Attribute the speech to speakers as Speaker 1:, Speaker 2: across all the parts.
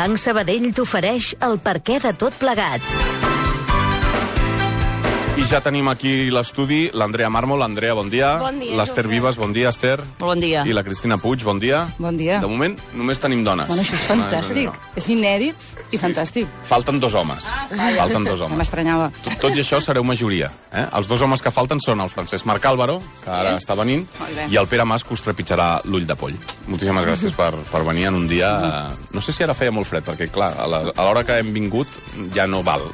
Speaker 1: Banc Sabadell t'ofereix el perquè de tot plegat.
Speaker 2: I ja tenim aquí l'estudi l'Andrea Mármol. Andrea, bon dia.
Speaker 3: Bon dia,
Speaker 2: L'Ester
Speaker 3: Jofre.
Speaker 2: Vives, bon dia, Ester.
Speaker 3: Bon dia.
Speaker 2: I la Cristina Puig, bon dia.
Speaker 4: Bon dia.
Speaker 2: De moment, només tenim dones.
Speaker 4: Bueno, això és fantàstic. És inèdit i fantàstic.
Speaker 2: Falten 2 homes. Falten 2 homes.
Speaker 4: M'estranyava.
Speaker 2: Tot i això sereu majoria. Els 2 homes que falten són el Francesc Marc Álvaro, que ara està venint,
Speaker 4: Molt bé.
Speaker 2: i el Pere Mas, que us trepitjarà l'ull de poll. Moltíssimes gràcies per venir en un dia... No sé si ara feia molt fred, perquè, clar, a l'hora que hem vingut ja no val.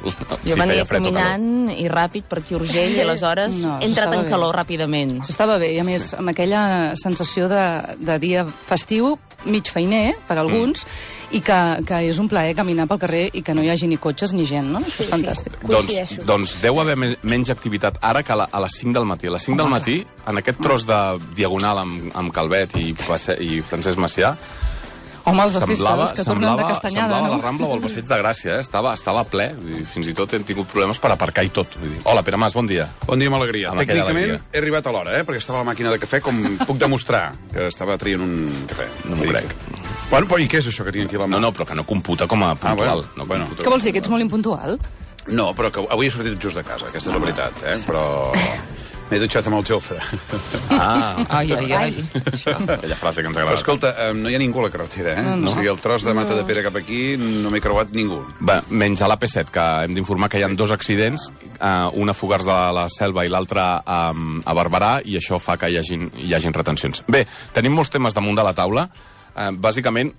Speaker 3: Jo venia caminant i ràpid per aquí a Urgell i aleshores
Speaker 4: No,
Speaker 3: he entrat en
Speaker 4: s'estava
Speaker 3: calor
Speaker 4: bé.
Speaker 3: ràpidament.
Speaker 4: S'estava bé, i a més, amb aquella sensació de dia festiu, mig feiner, per alguns, i que és un plaer caminar pel carrer i que no hi hagi ni cotxes ni gent, no? Això és fantàstic.
Speaker 2: Doncs deu haver menys activitat ara que a les 5 del matí. A les 5 del matí, en aquest tros de diagonal amb Calvet i Francesc Macià,
Speaker 4: Home, els fiscals que tornen de Castanyada,
Speaker 2: semblava
Speaker 4: no?
Speaker 2: la Rambla o el Passeig de Gràcia, Estava ple, i fins i tot hem tingut problemes per aparcar i tot. Vull dir, hola, Pere Mas, bon dia.
Speaker 5: Bon dia amb alegria.
Speaker 2: Amb aquella
Speaker 5: Tècnicament
Speaker 2: alegria.
Speaker 5: he arribat a l'hora, perquè estava a la màquina de cafè, com puc demostrar que estava traient un cafè.
Speaker 2: No m'ho crec.
Speaker 5: Bueno, però i què és això que tinc aquí a la mà?
Speaker 2: No, però que no computa com a puntual.
Speaker 5: bueno.
Speaker 4: Què vols dir, que ets molt impuntual?
Speaker 5: No, però que avui he sortit just de casa, aquesta és la veritat, però m'he dutxat amb el Jofre.
Speaker 4: Ai.
Speaker 2: Aquella frase que ens
Speaker 5: Però
Speaker 2: agrada.
Speaker 5: escolta, no hi ha ningú a la carretera,
Speaker 4: No.
Speaker 5: O sigui, el tros de Mata de Pere cap aquí no m'he creuat ningú.
Speaker 2: Bé, menys a l'AP7, que hem d'informar que hi ha 2 accidents, un a Fogars de la Selva i l'altre a Barberà, i això fa que hi hagin retencions. Bé, tenim molts temes damunt de la taula. Bàsicament,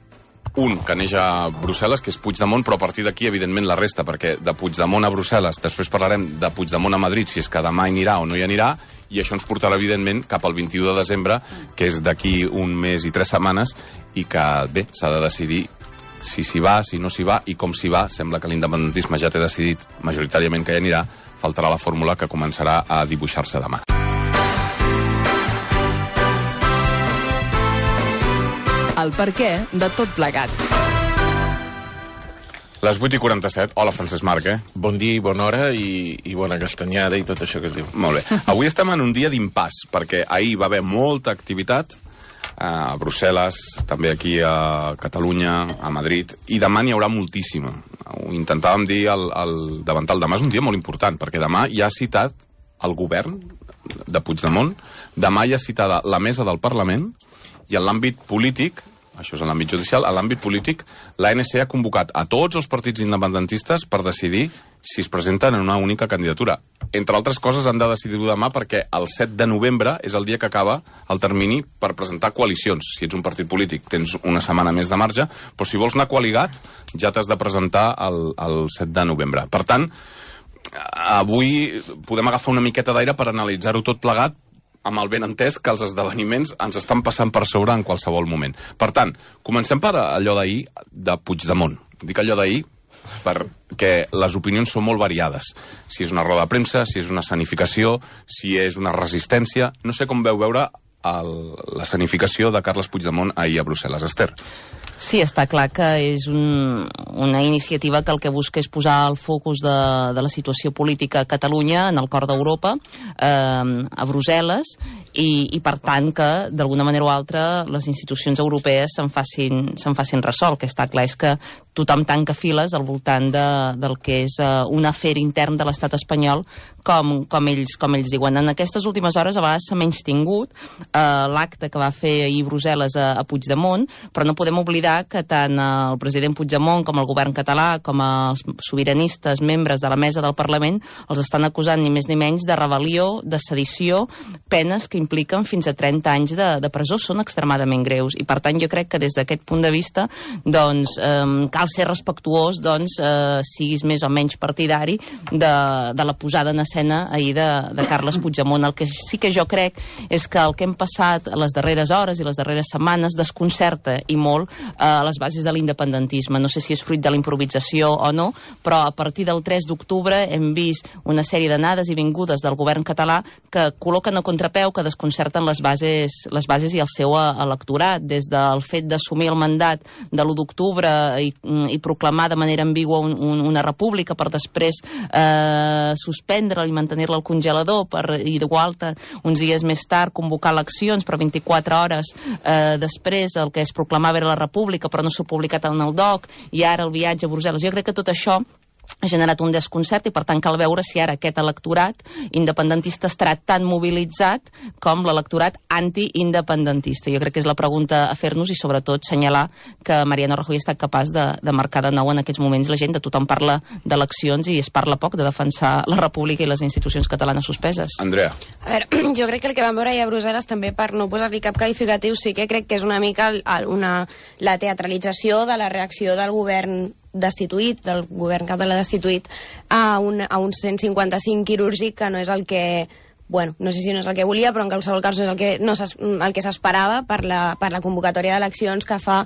Speaker 2: un que neix a Brussel·les, que és Puigdemont, però a partir d'aquí, evidentment, la resta, perquè de Puigdemont a Brussel·les, després parlarem de Puigdemont a Madrid, si és que demà hi anirà o no hi anirà, i això ens portarà, evidentment, cap al 21 de desembre, que és d'aquí un mes i 3 setmanes, i que, bé, s'ha de decidir si s'hi va, si no s'hi va, i com s'hi va. Sembla que l'independentisme ja té decidit majoritàriament que hi anirà. Faltarà la fórmula que començarà a dibuixar-se demà.
Speaker 6: El perquè de tot plegat.
Speaker 2: Les 8:47. Hola, Francesc Marc,
Speaker 7: Bon dia i bona hora i bona castanyada i tot això que es diu.
Speaker 2: Molt bé. Avui estem en un dia d'impàs, perquè ahir va haver molta activitat a Brussel·les, també aquí a Catalunya, a Madrid, i demà n'hi haurà moltíssima. Ho intentàvem dir al davantal. Demà és un dia molt important, perquè demà hi ha citat el govern de Puigdemont, demà hi ha citada la mesa del Parlament, i en l'àmbit polític, això és en l'àmbit judicial, en l'àmbit polític, l'ANC ha convocat a tots els partits independentistes per decidir si es presenten en una única candidatura. Entre altres coses, han de decidir-ho demà perquè el 7 de novembre és el dia que acaba el termini per presentar coalicions. Si ets un partit polític, tens una setmana més de marge, però si vols anar coaligat, ja t'has de presentar el 7 de novembre. Per tant, avui podem agafar una miqueta d'aire per analitzar-ho tot plegat, amb el ben entès que els esdeveniments ens estan passant per sobre en qualsevol moment. Per tant, comencem per allò d'ahir de Puigdemont. Dic allò d'ahir perquè les opinions són molt variades. Si és una roda de premsa, si és una escenificació, si és una resistència... No sé com veu veure l'escenificació de Carles Puigdemont ahir a Brussel·les. Ester.
Speaker 3: Sí, està clar que és una iniciativa que el que busca és posar el focus de la situació política a Catalunya, en el cor d'Europa, a Brussel·les, i per tant que, d'alguna manera o altra, les institucions europees se'n facin ressò. El que està clar és que tothom tanca files al voltant del que és un afer intern de l'estat espanyol, com ells diuen. En aquestes últimes hores a vegades s'ha menystingut l'acte que va fer ahir Brussel·les a Puigdemont, però no podem oblidar que tant el president Puigdemont com el govern català, com els sobiranistes, membres de la mesa del Parlament, els estan acusant ni més ni menys de rebel·lió, de sedició, penes que impliquen fins a 30 anys de presó. Són extremadament greus i, per tant, jo crec que des d'aquest punt de vista doncs, cal ser respectuós, doncs, siguis més o menys partidari de la posada en escena ahir de Carles Puigdemont. El que sí que jo crec és que el que hem passat a les darreres hores i les darreres setmanes desconcerta i molt a les bases de l'independentisme. No sé si és fruit de la improvisació o no, però a partir del 3 d'octubre hem vist una sèrie d'anades i vingudes del govern català que col·loquen a contrapeu, que desconcerten les bases i el seu electorat, des del fet d'assumir el mandat de l'1 d'octubre i proclamar de manera ambigua una república per després suspendre-la i mantenir-la al congelador i d'igual uns dies més tard convocar eleccions, però 24 hores després el que es proclamava era la república, pública però no s'ha publicat en el DOC, i ara el viatge a Brussel·les. Jo crec que tot això ha generat un desconcert i per tant cal veure si ara aquest electorat independentista estarà tan mobilitzat com l'electorat anti-independentista. Jo crec que és la pregunta a fer-nos i sobretot senyalar que Mariano Rajoy ha estat capaç de marcar de nou en aquests moments l'agenda. Tothom parla d'eleccions i es parla poc de defensar la república i les institucions catalanes suspeses.
Speaker 2: Andrea.
Speaker 8: A veure, jo crec que el que vam veure ahir a Brussel·les, també per no posar-li cap qualificatiu, sí que crec que és una mica la teatralització de la reacció del govern destituït, del govern català destituït, a un 155 quirúrgic que no és el que... Bueno, no sé si no és el que volia, però en qualsevol cas no és el que s'esperava per la convocatòria d'eleccions que fa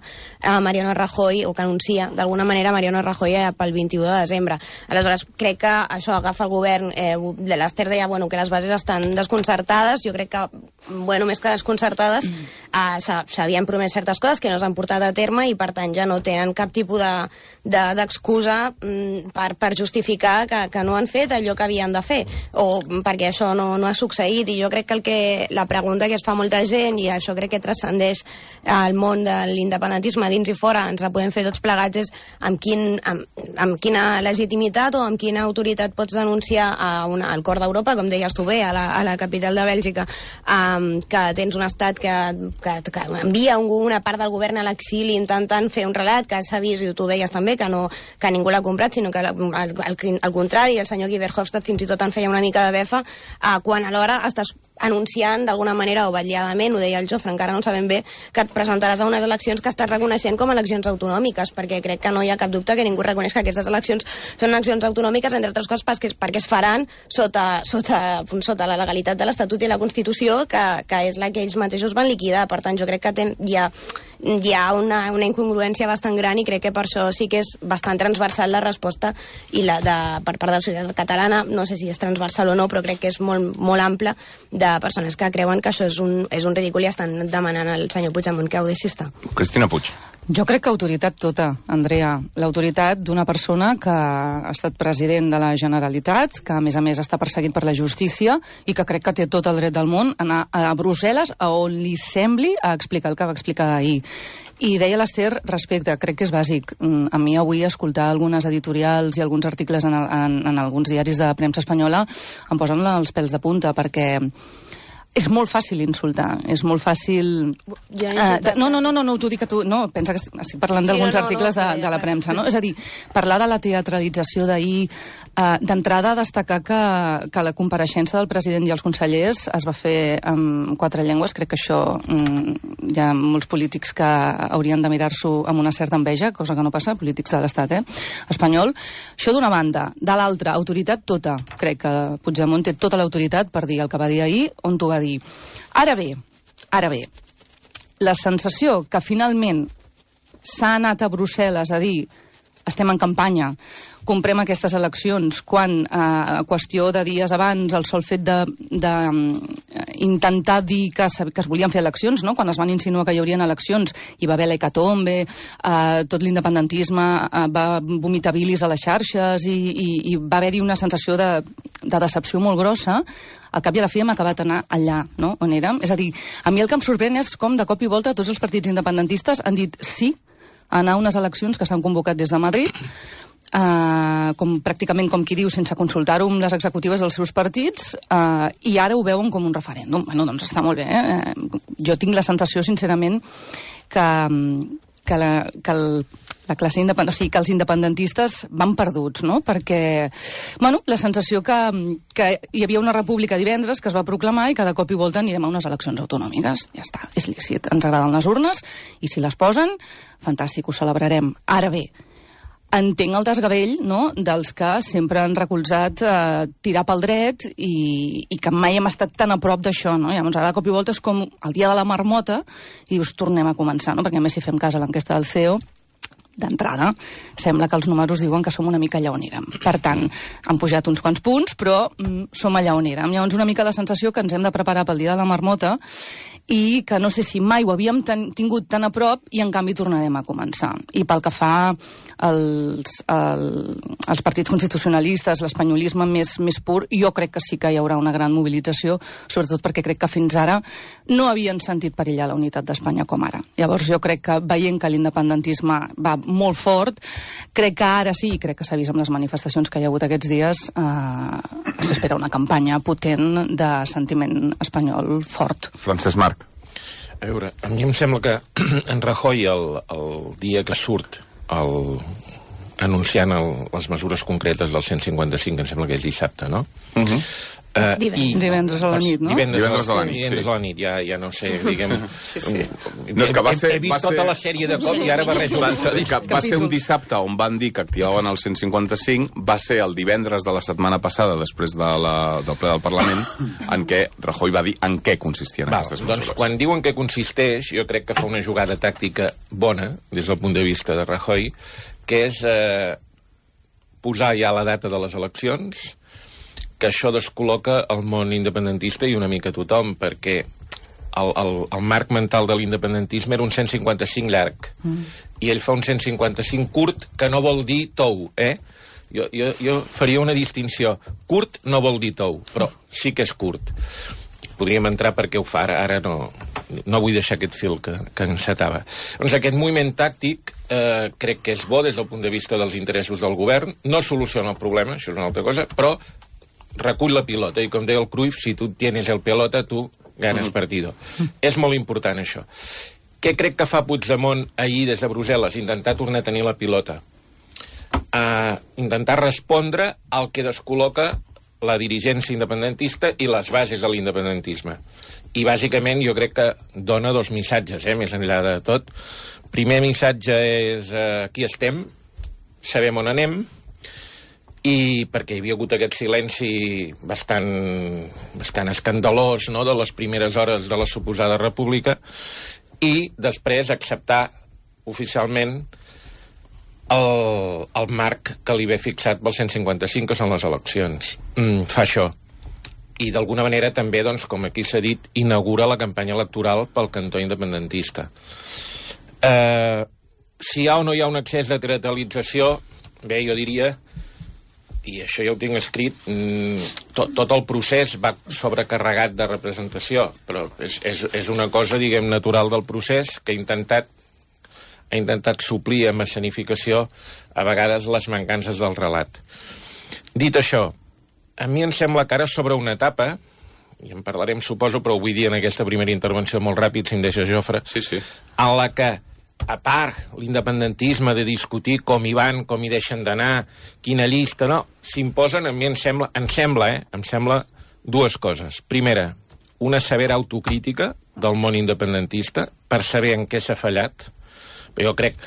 Speaker 8: Mariano Rajoy, o que anuncia d'alguna manera Mariano Rajoy pel 21 de desembre. Aleshores, crec que això agafa el govern. L'Ester deia que les bases estan desconcertades. Jo crec que, més que desconcertades, s'havien promès certes coses que no s'han portat a terme i, per tant, ja no tenen cap tipus d'excusa per justificar que no han fet allò que havien de fer, o perquè això no ha succeït. I jo crec que la pregunta que es fa molta gent, i això crec que transcendeix el món de l'independentisme dins i fora, ens la podem fer tots plegats, és amb quina legitimitat o amb quina autoritat pots denunciar al cor d'Europa, com deies tu bé, a la capital de Bèlgica, que tens un estat que envia una part del govern a l'exili intentant fer un relat que s'ha vist, i tu deies també, que ningú l'ha comprat, sinó que al contrari, el senyor Guy Verhofstadt fins i tot en feia una mica de befa, quan alhora estàs anunciant d'alguna manera o vetlladament, ho deia el Jofre, encara no sabem bé, que et presentaràs a unes eleccions que estàs reconeixent com a eleccions autonòmiques, perquè crec que no hi ha cap dubte que ningú reconeix que aquestes eleccions són eleccions autonòmiques, entre altres coses perquè es faran sota la legalitat de l'Estatut i la Constitució, que és la que ells mateixos van liquidar. Per tant, jo crec que hi ha una incongruència bastant gran, i crec que per això sí que és bastant transversal la resposta per part de la societat catalana. No sé si és transversal o no, però crec que és molt, molt ampla, de persones que creuen que això és un ridícul i estan demanant al senyor Puigdemont que ho deixi estar.
Speaker 2: Cristina Puig.
Speaker 4: Jo crec que autoritat tota, Andrea. L'autoritat d'una persona que ha estat president de la Generalitat, que a més està perseguit per la justícia i que crec que té tot el dret del món a anar a Brussel·les, a on li sembli, a explicar el que va explicar ahir. I deia l'Ester, respecte, crec que és bàsic. A mi avui escoltar algunes editorials i alguns articles en alguns diaris de premsa espanyola em posen els pèls de punta, perquè és molt fàcil insultar, és molt fàcil... No, t'ho dic a tu, no, pensa que estic parlant d'alguns articles de la premsa, no? És a dir, parlar de la teatralització d'ahir, d'entrada destacar que la compareixença del president i els consellers es va fer en 4 llengües. Crec que això hi ha molts polítics que haurien de mirar-s'ho amb una certa enveja, cosa que no passa, polítics de l'estat espanyol. Això d'una banda. De l'altra, autoritat tota. Crec que Puigdemont té tota l'autoritat per dir el que va dir ahir, on t'ho va dir. Ara bé, la sensació que finalment s'ha anat a Brussel·les a dir estem en campanya, comprem aquestes eleccions, quan a qüestió de dies abans el sol fet d'intentar dir que es volien fer eleccions, no? Quan es van insinuar que hi haurien eleccions, hi va haver l'hecatombe, tot l'independentisme va vomitar bilis a les xarxes i va haver-hi una sensació de decepció molt grossa. Al cap i a la fi hem acabat anar allà, no? On érem. És a dir, a mi el que em sorprèn és com de cop i volta tots els partits independentistes han dit sí a anar a unes eleccions que s'han convocat des de Madrid, pràcticament com qui diu, sense consultar-ho amb les executives dels seus partits, i ara ho veuen com un referèndum. Bueno, doncs està molt bé. Jo tinc la sensació, sincerament, que la classe independentista, o sigui, que els independentistes van perduts, no? Perquè, la sensació que hi havia una república divendres que es va proclamar i que de cop i volta anirem a unes eleccions autonòmiques. Ja està, és lícit. Ens agraden les urnes i si les posen, fantàstic, ho celebrarem. Ara bé, entenc el desgavell, no?, dels que sempre han recolzat tirar pel dret i que mai hem estat tan a prop d'això, no? Llavors ara de cop i volta és com el dia de la marmota i dius, tornem a començar, no? Perquè a més si fem cas a l'enquesta del CEO, d'entrada, sembla que els números diuen que som una mica allà on érem. Per tant, han pujat uns quants punts, però som allà on érem. Llavors, una mica la sensació que ens hem de preparar pel dia de la marmota i que no sé si mai ho havíem tingut tan a prop i, en canvi, tornarem a començar. I pel que fa als partits constitucionalistes, l'espanyolisme més pur, jo crec que sí que hi haurà una gran mobilització, sobretot perquè crec que fins ara no havien sentit perillar la unitat d'Espanya com ara. Llavors, jo crec que, veient que l'independentisme va molt fort, crec que ara sí, crec que s'ha vist amb les manifestacions que hi ha hagut aquests dies, s'espera una campanya potent de sentiment espanyol fort.
Speaker 2: Francesc Marc.
Speaker 7: A veure, a mi em sembla que en Rajoy, el dia que surt anunciant les mesures concretes del 155, em sembla que és dissabte, no?
Speaker 4: Divendres a la nit, no?
Speaker 7: Divendres a la nit, ja no sé, diguem...
Speaker 2: No, és que
Speaker 7: he vist tota la sèrie de cop i ara barrejo...
Speaker 2: Va ser un dissabte on van dir que activaven el 155, va ser el divendres de la setmana passada, després del ple del Parlament, en què Rajoy va dir en què consistien aquestes mesures.
Speaker 7: Doncs quan diuen què consisteix, jo crec que fa una jugada tàctica bona, des del punt de vista de Rajoy, que és posar ja la data de les eleccions, que això descol·loca el món independentista i una mica tothom, perquè el marc mental de l'independentisme era un 155 llarg, i ell fa un 155 curt, que no vol dir tou, Jo faria una distinció. Curt no vol dir tou, però sí que és curt. Podríem entrar perquè ho fa, ara no vull deixar aquest fil que encetava. Doncs aquest moviment tàctic crec que és bo des del punt de vista dels interessos del govern, no soluciona el problema, això és una altra cosa, però recull la pilota, i com deia el Cruyff, si tu tienes el pelota, tu ganes partido. És molt important, això. Què crec que fa Puigdemont ahir des de Brussel·les? Intentar tornar a tenir la pilota. Intentar respondre al que descol·loca la dirigència independentista i les bases de l'independentisme. I, bàsicament, jo crec que dona dos missatges, més enllà de tot. Primer missatge és aquí estem, sabem on anem, i perquè hi havia hagut aquest silenci bastant escandalós, no?, de les primeres hores de la suposada república, i després acceptar oficialment el marc que li ve fixat pel 155, que són les eleccions. Fa això. I d'alguna manera també, doncs, com aquí s'ha dit, inaugura la campanya electoral pel cantó independentista. Si hi ha o no hi ha un excés de teatralització, bé, jo diria, i això ja ho tinc escrit, tot el procés va sobrecarregat de representació, però és una cosa, diguem, natural del procés, que ha intentat suplir amb escenificació a vegades les mancances del relat. Dit això, a mi em sembla que ara sobre una etapa, i en parlarem, suposo, però ho vull dir en aquesta primera intervenció molt ràpid, si em deixa Jofre, en la que, a part l'independentisme de discutir com hi van, com hi deixen d'anar, quina llista, no, s'imposen, a mi em sembla dues coses. Primera, una severa autocrítica del món independentista per saber en què s'ha fallat. Jo crec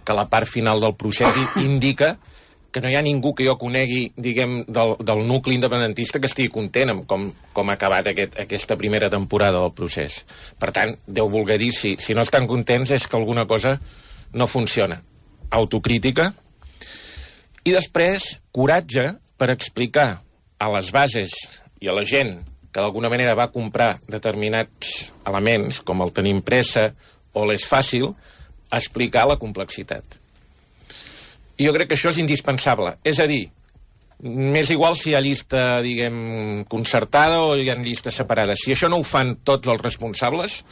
Speaker 7: que la part final del procés indica que no hi ha ningú que jo conegui, diguem, del nucli independentista que estigui content amb com ha acabat aquesta primera temporada del procés. Per tant, Déu voler dir, si no estan contents és que alguna cosa no funciona. Autocrítica. I després, coratge per explicar a les bases i a la gent que d'alguna manera va comprar determinats elements, com el tenim pressa o l'és fàcil, explicar la complexitat. I jo crec que això és indispensable. És a dir, m'és igual si hi ha llista, diguem, concertada o hi ha llistes separades. Si això no ho fan tots els responsables,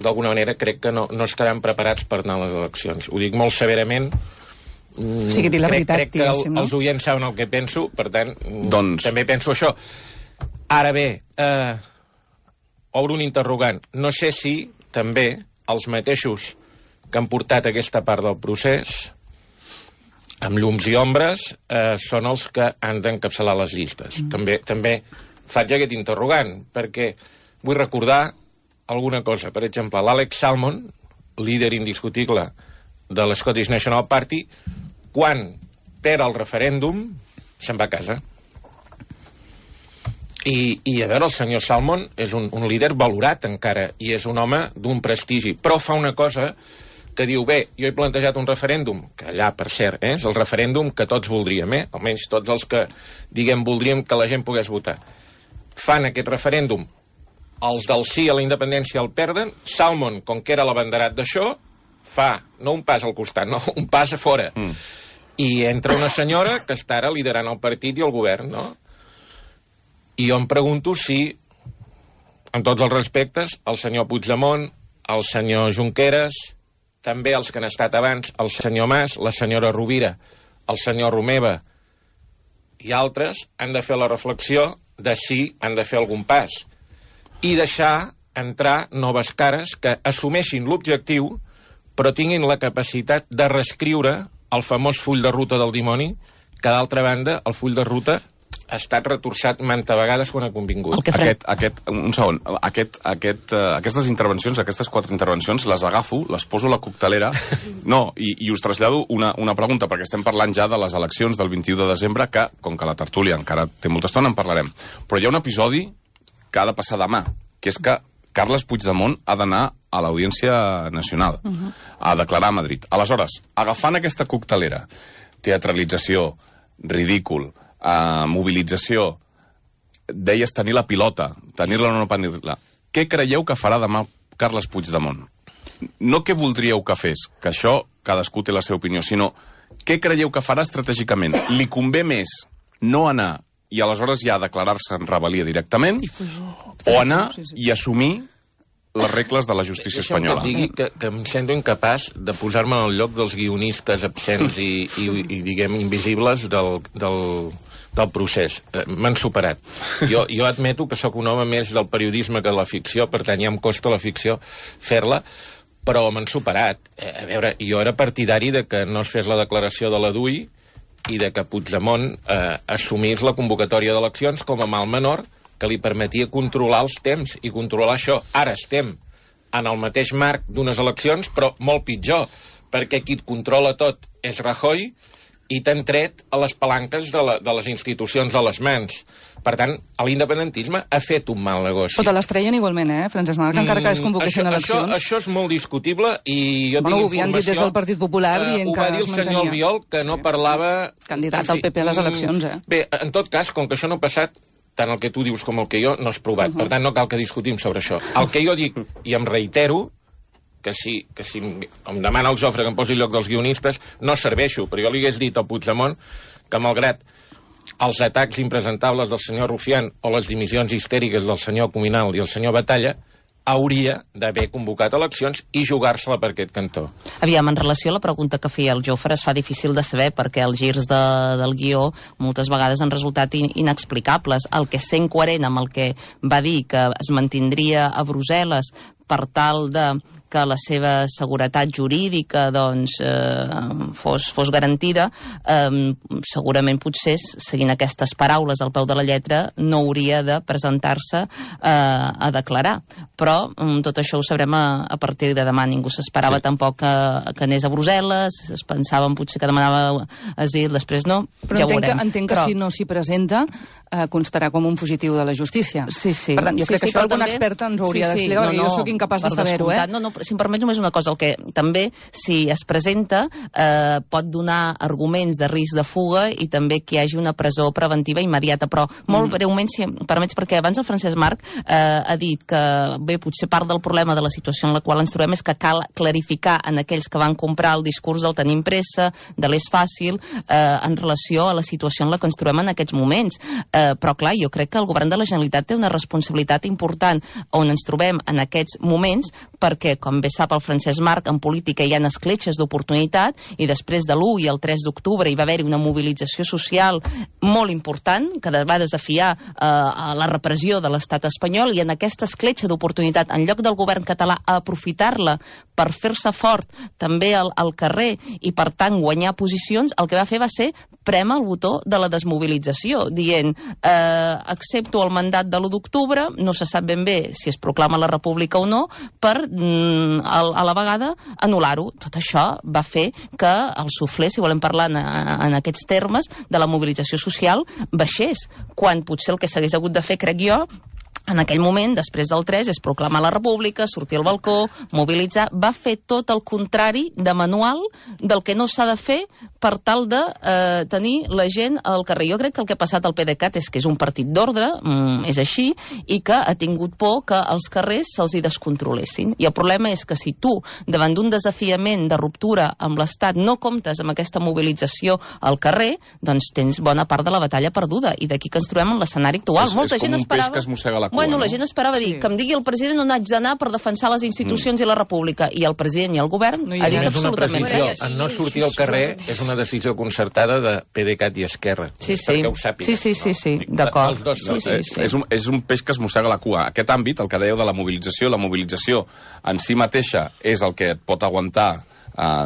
Speaker 7: d'alguna manera crec que no estaran preparats per anar a les eleccions. Ho dic molt severament.
Speaker 4: Sí, que la veritat,
Speaker 7: crec que els oients saben el que penso, per tant, també penso això. Ara bé, obro un interrogant. No sé si també els mateixos que han portat aquesta part del procés, amb llums i ombres, són els que han d'encapçalar les llistes. També faig aquest interrogant, perquè vull recordar alguna cosa. Per exemple, l'Alex Salmond, líder indiscutible de l'Scottish National Party, quan perd el referèndum, se'n va a casa. I a veure, el senyor Salmond és un líder valorat encara, i és un home d'un prestigi, però fa una cosa que diu, bé, jo he plantejat un referèndum, que allà, per cert, és el referèndum que tots voldríem, almenys tots els que, diguem, voldríem que la gent pogués votar. Fan aquest referèndum, els del sí a la independència el perden, Salmond, com que era l'abanderat d'això, fa, no un pas al costat, no, un pas a fora. I entra una senyora que està ara liderant el partit i el govern, no? I jo em pregunto si, en tots els respectes, el senyor Puigdemont, el senyor Junqueras, també els que han estat abans, el senyor Mas, la senyora Rovira, el senyor Romeva i altres, han de fer la reflexió de si han de fer algun pas i deixar entrar noves cares que assumeixin l'objectiu però tinguin la capacitat de reescriure el famós full de ruta del dimoni, que d'altra banda el full de ruta ha estat retorçat manta vegades quan ha convingut.
Speaker 2: Un segon. Aquestes intervencions, aquestes 4 intervencions, les agafo, les poso a la coctelera, i us trasllado una pregunta, perquè estem parlant ja de les eleccions del 21 de desembre, que, com que la tertúlia encara té molta estona, en parlarem. Però hi ha un episodi que ha de passar demà, que és que Carles Puigdemont ha d'anar a l'Audiència Nacional, a declarar a Madrid. Aleshores, agafant aquesta coctelera, teatralització, ridícul, mobilització, deies tenir la pilota, tenir-la o no tenir-la. Què creieu que farà demà Carles Puigdemont? No què voldríeu que fes, que això cadascú té la seva opinió, sinó què creieu que farà estratègicament? Li convé més no anar i aleshores ja declarar-se en rebel·lia directament, o anar i assumir les regles de la justícia espanyola?
Speaker 7: Deixa'm que et digui que em sento incapaç de posar-me en el lloc dels guionistes absents i diguem, invisibles del procés. M'han superat. Jo admeto que sóc un home més del periodisme que de la ficció, per tant ja em costa la ficció fer-la, però m'han superat. A veure, jo era partidari de que no es fes la declaració de la DUI i de que Puigdemont assumís la convocatòria d'eleccions com a mal menor que li permetia controlar els temps i controlar això. Ara estem en el mateix marc d'unes eleccions, però molt pitjor, perquè qui et controla tot és Rajoy i t'han tret a les palanques de les institucions a les mans. Per tant, l'independentisme ha fet un mal negoci.
Speaker 4: Però te les treien igualment, Francesc Marc, encara que es convoquessin eleccions?
Speaker 7: Això és molt discutible i jo tinc informació...
Speaker 4: Ho havien dit des del Partit Popular dient que es mantenia.
Speaker 7: Ho va dir el senyor Albiol, que no parlava...
Speaker 4: Candidat al PP a les eleccions,
Speaker 7: Bé, en tot cas, com que això no ha passat, tant el que tu dius com el que jo no és provat. Per tant, no cal que discutim sobre això. El que jo dic, i em reitero, que si em demana el Jofre que em posi el lloc dels guionistes, no serveixo, però jo li hagués dit al Puigdemont que malgrat els atacs impresentables del senyor Rufián o les dimissions histèriques del senyor Cuminal i el senyor Batalla, hauria d'haver convocat eleccions i jugar-se-la per aquest cantó.
Speaker 3: Aviam, en relació a la pregunta que feia el Jofre, es fa difícil de saber perquè els girs del guió moltes vegades han resultat inexplicables. El que és sent coherent amb el que va dir que es mantindria a Brussel·les per tal de que la seva seguretat jurídica doncs, fos garantida, segurament potser, seguint aquestes paraules al peu de la lletra, no hauria de presentar-se a declarar. Però tot això ho sabrem a partir de demà. Ningú s'esperava tampoc que anés a Brussel·les, es pensaven potser que demanava asil, després no,
Speaker 4: però
Speaker 3: ja ho veurem.
Speaker 4: Entenc que si no s'hi presenta, constarà com un fugitiu de la justícia.
Speaker 3: Sí.
Speaker 4: Per tant, jo crec que això alguna experta ens ho hauria d'explicar, perquè jo sóc incapaç de saber-ho.
Speaker 3: No, si em permets només una cosa, el que també, si es presenta, pot donar arguments de risc de fuga i també que hi hagi una presó preventiva immediata, però molt breument, si em permets, perquè abans el Francesc Marc ha dit que, bé, potser part del problema de la situació en la qual ens trobem és que cal clarificar en aquells que van comprar el discurs del tenim pressa, de l'és fàcil, en relació a la situació en la que ens trobem en aquests moments. Però, clar, jo crec que el govern de la Generalitat té una responsabilitat important on ens trobem en aquests moments, perquè, com bé sap el Francesc Marc, en política hi ha escletxes d'oportunitat i després de l'1 i el 3 d'octubre hi va haver-hi una mobilització social molt important que va desafiar a la repressió de l'estat espanyol, i en aquesta escletxa d'oportunitat, en lloc del govern català a aprofitar-la per fer-se fort també al carrer i, per tant, guanyar posicions, el que va fer va ser prémer el botó de la desmobilització, dient accepto el mandat de l'1 d'octubre, no se sap ben bé si es proclama la república o no, per a la vegada anul·lar-ho. Tot això va fer que el suflé, si volem parlar en aquests termes, de la mobilització social baixés, quan potser el que s'hagués hagut de fer, crec jo, En aquell moment, després del 3, és proclamar la república, sortir al balcó, mobilitzar, va fer tot el contrari de manual del que no s'ha de fer per tal de tenir la gent al carrer. Jo crec que el que ha passat al PDeCAT és que és un partit d'ordre, és així, i que ha tingut por que els carrers se'ls hi descontrolessin. I el problema és que si tu, davant d'un desafiament de ruptura amb l'Estat, no comptes amb aquesta mobilització al carrer, doncs tens bona part de la batalla perduda, i d'aquí que ens trobem en l'escenari actual.
Speaker 2: És com un peix que es mossega la cua.
Speaker 3: Bueno, la gent esperava dir que em digui el president on haig d'anar per defensar les institucions i la república, i el president i el govern ha dit absolutament res.
Speaker 7: En no sortir al carrer és una decisió concertada de PDeCAT i Esquerra.
Speaker 3: Sí,
Speaker 7: perquè ho sàpiga.
Speaker 3: Sí, d'acord.
Speaker 2: És un peix que es mossega la cua. Aquest àmbit, el que dèieu de la mobilització en si mateixa és el que et pot aguantar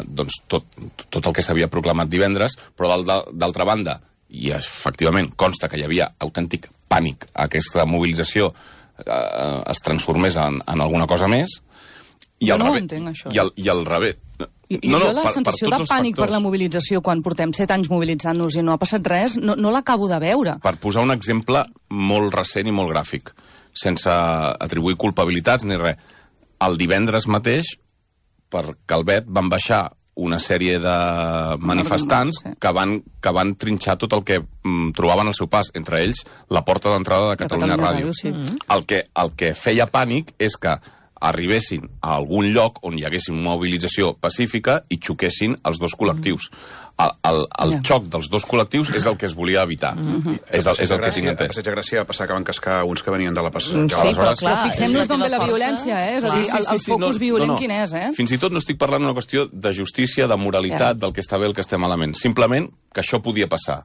Speaker 2: doncs tot el que s'havia proclamat divendres, però d'altra banda, i efectivament consta que hi havia autèntic pànic, aquesta mobilització es transformés en alguna cosa més, i al revés.
Speaker 4: No ho entenc, això.
Speaker 2: I al revés.
Speaker 4: Jo la sensació de pànic per la mobilització, quan portem 7 anys mobilitzant-nos i no ha passat res, no l'acabo de veure.
Speaker 2: Per posar un exemple molt recent i molt gràfic, sense atribuir culpabilitats ni res, el divendres mateix, per Calvet, van baixar una sèrie de manifestants que van trinxar tot el que trobaven al seu pas, entre ells la porta d'entrada de Catalunya Ràdio.
Speaker 4: Sí.
Speaker 2: El que feia pànic és que arribessin a algun lloc on hi haguessin una mobilització pacífica i xoquessin els dos col·lectius. El xoc dels dos col·lectius és el que es volia evitar. És el que tinc entès.
Speaker 5: A Passeig de Gràcia va passar que van cascar uns que venien de la passatge.
Speaker 3: Sí, però clar...
Speaker 4: Fixem-nos d'on ve la violència, És a dir, el focus violent quin és,
Speaker 2: Fins i tot no estic parlant d'una qüestió de justícia, de moralitat, del que està bé, el que està malament. Simplement que això podia passar.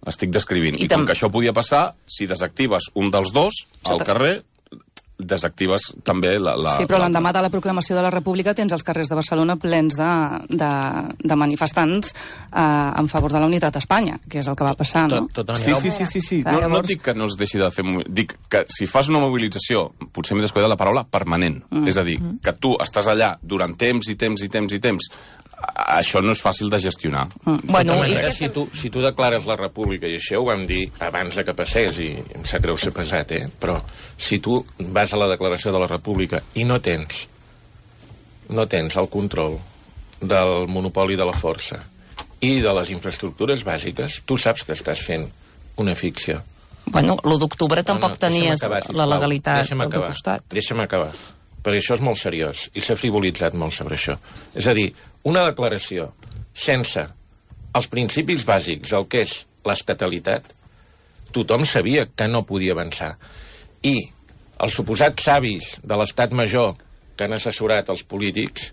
Speaker 2: Estic descrivint. I com que això podia passar, si desactives un dels dos al carrer, desactives també la...
Speaker 4: Sí, però l'endemà de la proclamació de la República tens els carrers de Barcelona plens de manifestants en favor de la unitat d'Espanya, que és el que va passar, no?
Speaker 2: Sí. No dic que no es deixi de fer... Dic que si fas una mobilització, potser m'he descuidat la paraula, permanent. És a dir, que tu estàs allà durant temps i temps, això no és fàcil de gestionar.
Speaker 7: Bueno, si tu declares la república, i això ho vam dir abans de que passés, i em sap greu ser pesat, però si tu vas a la declaració de la república i no tens el control del monopoli de la força i de les infraestructures bàsiques, tu saps que estàs fent una ficció.
Speaker 3: Bueno, l'1 d'octubre tampoc tenies la legalitat al teu costat.
Speaker 7: Deixa'm acabar, perquè això és molt seriós i s'ha frivolitzat molt sobre això. És a dir, una declaració sense els principis bàsics, el que és l'estatalitat, tothom sabia que no podia avançar. I els suposats savis de l'estat major que han assessorat els polítics,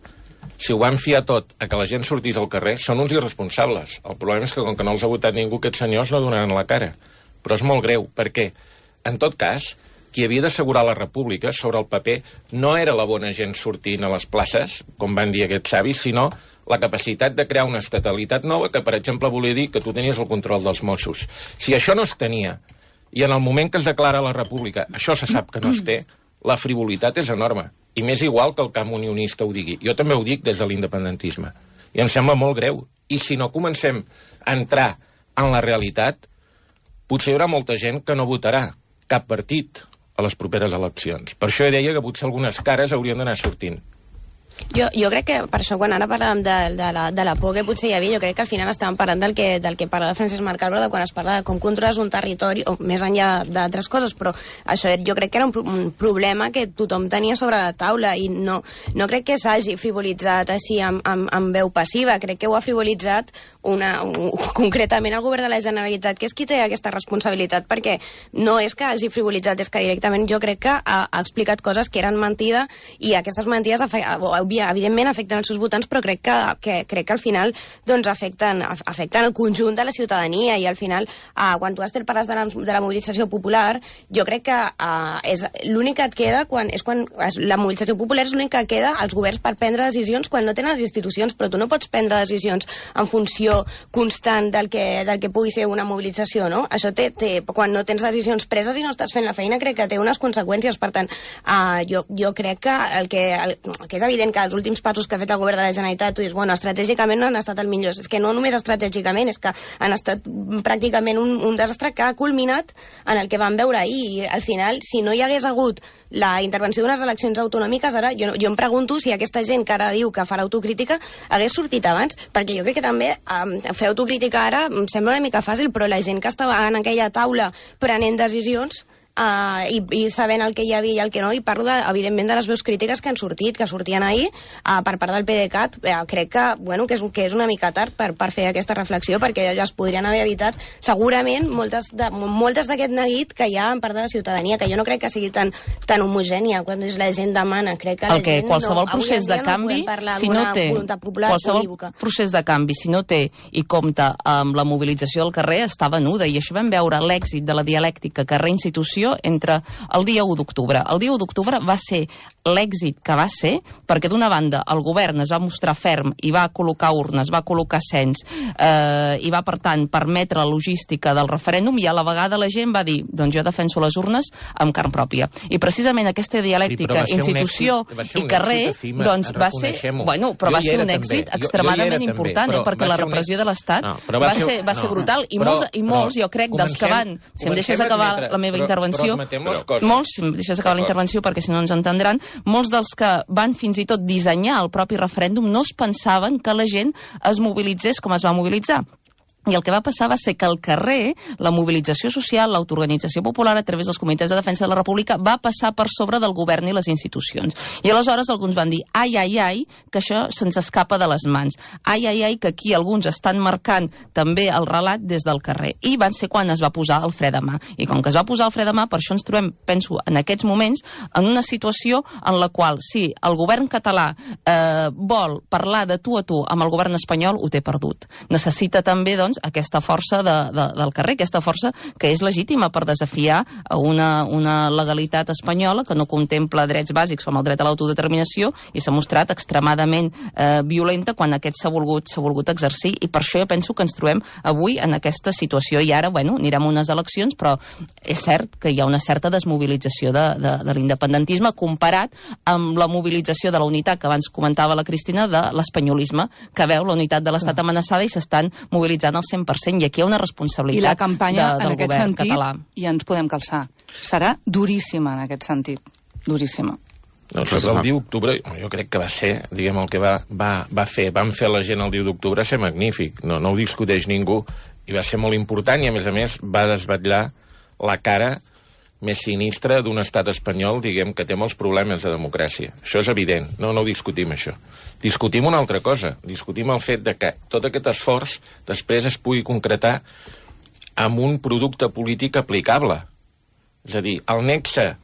Speaker 7: si ho van fiar tot a que la gent sortís al carrer, són uns irresponsables. El problema és que, com que no els ha votat ningú, aquests senyors no donaran la cara. Però és molt greu, perquè, en tot cas, qui havia d'assegurar la república sobre el paper no era la bona gent sortint a les places, com van dir aquests savis, sinó la capacitat de crear una estatalitat nova que, per exemple, volia dir que tu tenies el control dels Mossos. Si això no es tenia, i en el moment que es declara la república això se sap que no es té, la frivolitat és enorme. I m'és igual que el camp unionista ho digui. Jo també ho dic des de l'independentisme. I em sembla molt greu. I si no comencem a entrar en la realitat, potser hi haurà molta gent que no votarà cap partit a les properes eleccions. Per això deia que potser algunes cares haurien d'anar sortint.
Speaker 8: Jo crec que, per això, quan ara parlàvem de la por que potser hi havia, jo crec que al final estàvem parlant del que parla de Francesc Marc Alba, de quan es parla de com controles un territori, o més enllà d'altres coses, però això jo crec que era un problema que tothom tenia sobre la taula, i no crec que s'hagi frivolitzat així amb veu passiva, crec que ho ha frivolitzat concretament el govern de la Generalitat, que és qui té aquesta responsabilitat, perquè no és que hagi frivolitzat, és que directament jo crec que ha explicat coses que eren mentida, i aquestes mentides evidentment afecten els seus votants, però crec que al final doncs afecten el conjunt de la ciutadania, i al final quan tu parles de la mobilització popular, jo crec que és l'únic que et queda quan la mobilització popular és l'únic que queda als governs per prendre decisions quan no tenen les institucions, però tu no pots prendre decisions en funció constant del que pugui ser una mobilització, no? Això quan no tens decisions preses i no estàs fent la feina, crec que té unes conseqüències. Per tant, jo crec que el que és evident que els últims passos que ha fet el govern de la Generalitat, tu dius, bueno, estratègicament no han estat el millor. És que no només estratègicament, és que han estat pràcticament un desastre que ha culminat en el que vam veure ahir. I al final, si no hi hagués hagut la intervenció d'unes eleccions autonòmiques, ara jo em pregunto si aquesta gent que ara diu que farà autocrítica hagués sortit abans, perquè jo crec que també fer autocrítica ara em sembla una mica fàcil, però la gent que estava en aquella taula prenent decisions i sabent el que hi havia i el que no, i parlo, evidentment, de les veus crítiques que han sortit, que sortien ahir per part del PDeCAT. Crec que és una mica tard per fer aquesta reflexió, perquè ja es podrien haver evitat segurament moltes d'aquest neguit que hi ha en part de la ciutadania, que jo no crec que sigui tan homogènia. Quan la gent demana, crec que la gent
Speaker 3: qualsevol procés de canvi, si no té qualsevol procés de canvi, si no té i compta amb la mobilització del carrer, està venuda, i això vam veure l'èxit de la dialèctica carrer-institució entre el dia 1 d'octubre. El dia 1 d'octubre va ser l'èxit que va ser, perquè d'una banda el govern es va mostrar ferm i va col·locar urnes, va col·locar cens, i va, per tant, permetre la logística del referèndum, i a la vegada la gent va dir, doncs jo defenso les urnes amb carn pròpia. I precisament aquesta dialèctica, institució i carrer, doncs va ser... Bueno, però va ser un èxit extremadament important, perquè la repressió de l'Estat va ser brutal, i molts, jo crec, dels que van... Si em deixes acabar la meva intervenció, molts, si em deixes acabar la intervenció perquè si no ens entendran, molts dels que van fins i tot dissenyar el propi referèndum no es pensaven que la gent es mobilitzés com es va mobilitzar. I el que va passar va ser que al carrer la mobilització social, l'autoorganització popular a través dels comitès de defensa de la República va passar per sobre del govern i les institucions. I aleshores alguns van dir, ai, que això se'ns escapa de les mans. Ai, que aquí alguns estan marcant també el relat des del carrer. I van ser quan es va posar el fre de mà. I com que es va posar el fre de mà, per això ens trobem, penso, en aquests moments, en una situació en la qual, si el govern català vol parlar de tu a tu amb el govern espanyol, ho té perdut. Necessita també, doncs, aquesta força del carrer, aquesta força que és legítima per desafiar una legalitat espanyola que no contempla drets bàsics com el dret a l'autodeterminació i s'ha mostrat extremadament violenta quan aquest s'ha volgut exercir, i per això jo penso que ens trobem avui en aquesta situació. I ara, anirem a unes eleccions, però és cert que hi ha una certa desmobilització de l'independentisme comparat amb la mobilització de la unitat que abans comentava la Cristina, de l'espanyolisme, que veu la unitat de l'Estat amenaçada i s'estan mobilitzant al 100%, i aquí hi ha una responsabilitat
Speaker 4: i la campanya,
Speaker 3: del govern català.
Speaker 4: I ens podem calçar. Serà duríssima en aquest sentit. Duríssima.
Speaker 7: No, sobre el 10 d'octubre, jo crec que va ser, diguem, el que vam fer la gent el 10 d'octubre ser magnífic. No ho discuteix ningú, i va ser molt important, i a més va desvetllar la cara més sinistra d'un estat espanyol, diguem, que té molts problemes de democràcia. Això és evident, no ho discutim, això. Discutim una altra cosa, discutim el fet de que tot aquest esforç després es pugui concretar amb un producte polític aplicable. És a dir, el nexe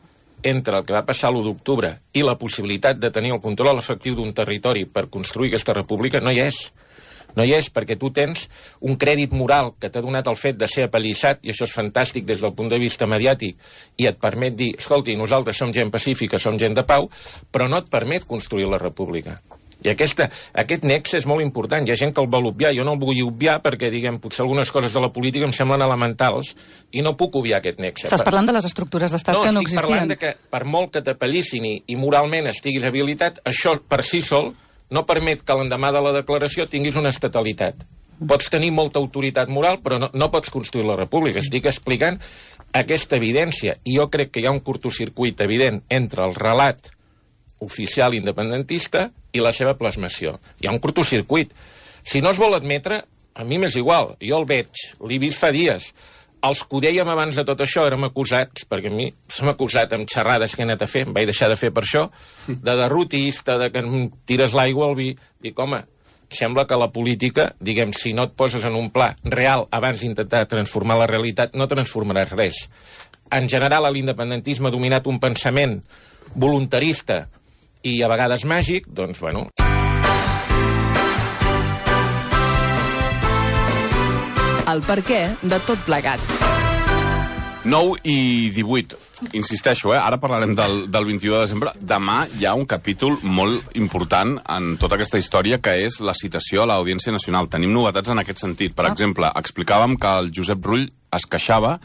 Speaker 7: entre el que va passar l'1 d'octubre i la possibilitat de tenir el control efectiu d'un territori per construir aquesta república no hi és. No hi és, perquè tu tens un crèdit moral que t'ha donat el fet de ser apallissat, i això és fantàstic des del punt de vista mediàtic, i et permet dir, escolti, nosaltres som gent pacífica, som gent de pau, però no et permet construir la república. I aquest nexe és molt important. Hi ha gent que el vol obviar. Jo no el vull obviar perquè, diguem, potser algunes coses de la política em semblen elementals i no puc obviar aquest nexe.
Speaker 4: Estàs parlant de les estructures d'estat que no existien.
Speaker 7: No, estic parlant de que per molt que t'apallissin i moralment estiguis habilitat, això per si sol no permet que l'endemà de la declaració tinguis una estatalitat. Pots tenir molta autoritat moral, però no pots construir la república. Estic explicant aquesta evidència, i jo crec que hi ha un curtocircuit evident entre el relat oficial independentista i la seva plasmació. Hi ha un curtocircuit. Si no es vol admetre, a mi m'és igual. Jo el veig, l'he vist fa dies. Els que ho dèiem abans de tot això érem acusats, perquè a mi s'ha acusat amb xerrades que he anat a fer, em vaig deixar de fer per això, de derrotista, de que em tires l'aigua al vi. Dic, home, sembla que la política, diguem, si no et poses en un pla real abans d'intentar transformar la realitat, no transformaràs res. En general, l'independentisme ha dominat un pensament voluntarista i a vegades màgic, doncs, bueno...
Speaker 6: El perquè de tot plegat.
Speaker 2: 9 i 18. Insisteixo, ara parlarem del 21 de desembre. Demà hi ha un capítol molt important en tota aquesta història, que és la citació a l'Audiència Nacional. Tenim novetats en aquest sentit. Per exemple, explicàvem que el Josep Rull es queixava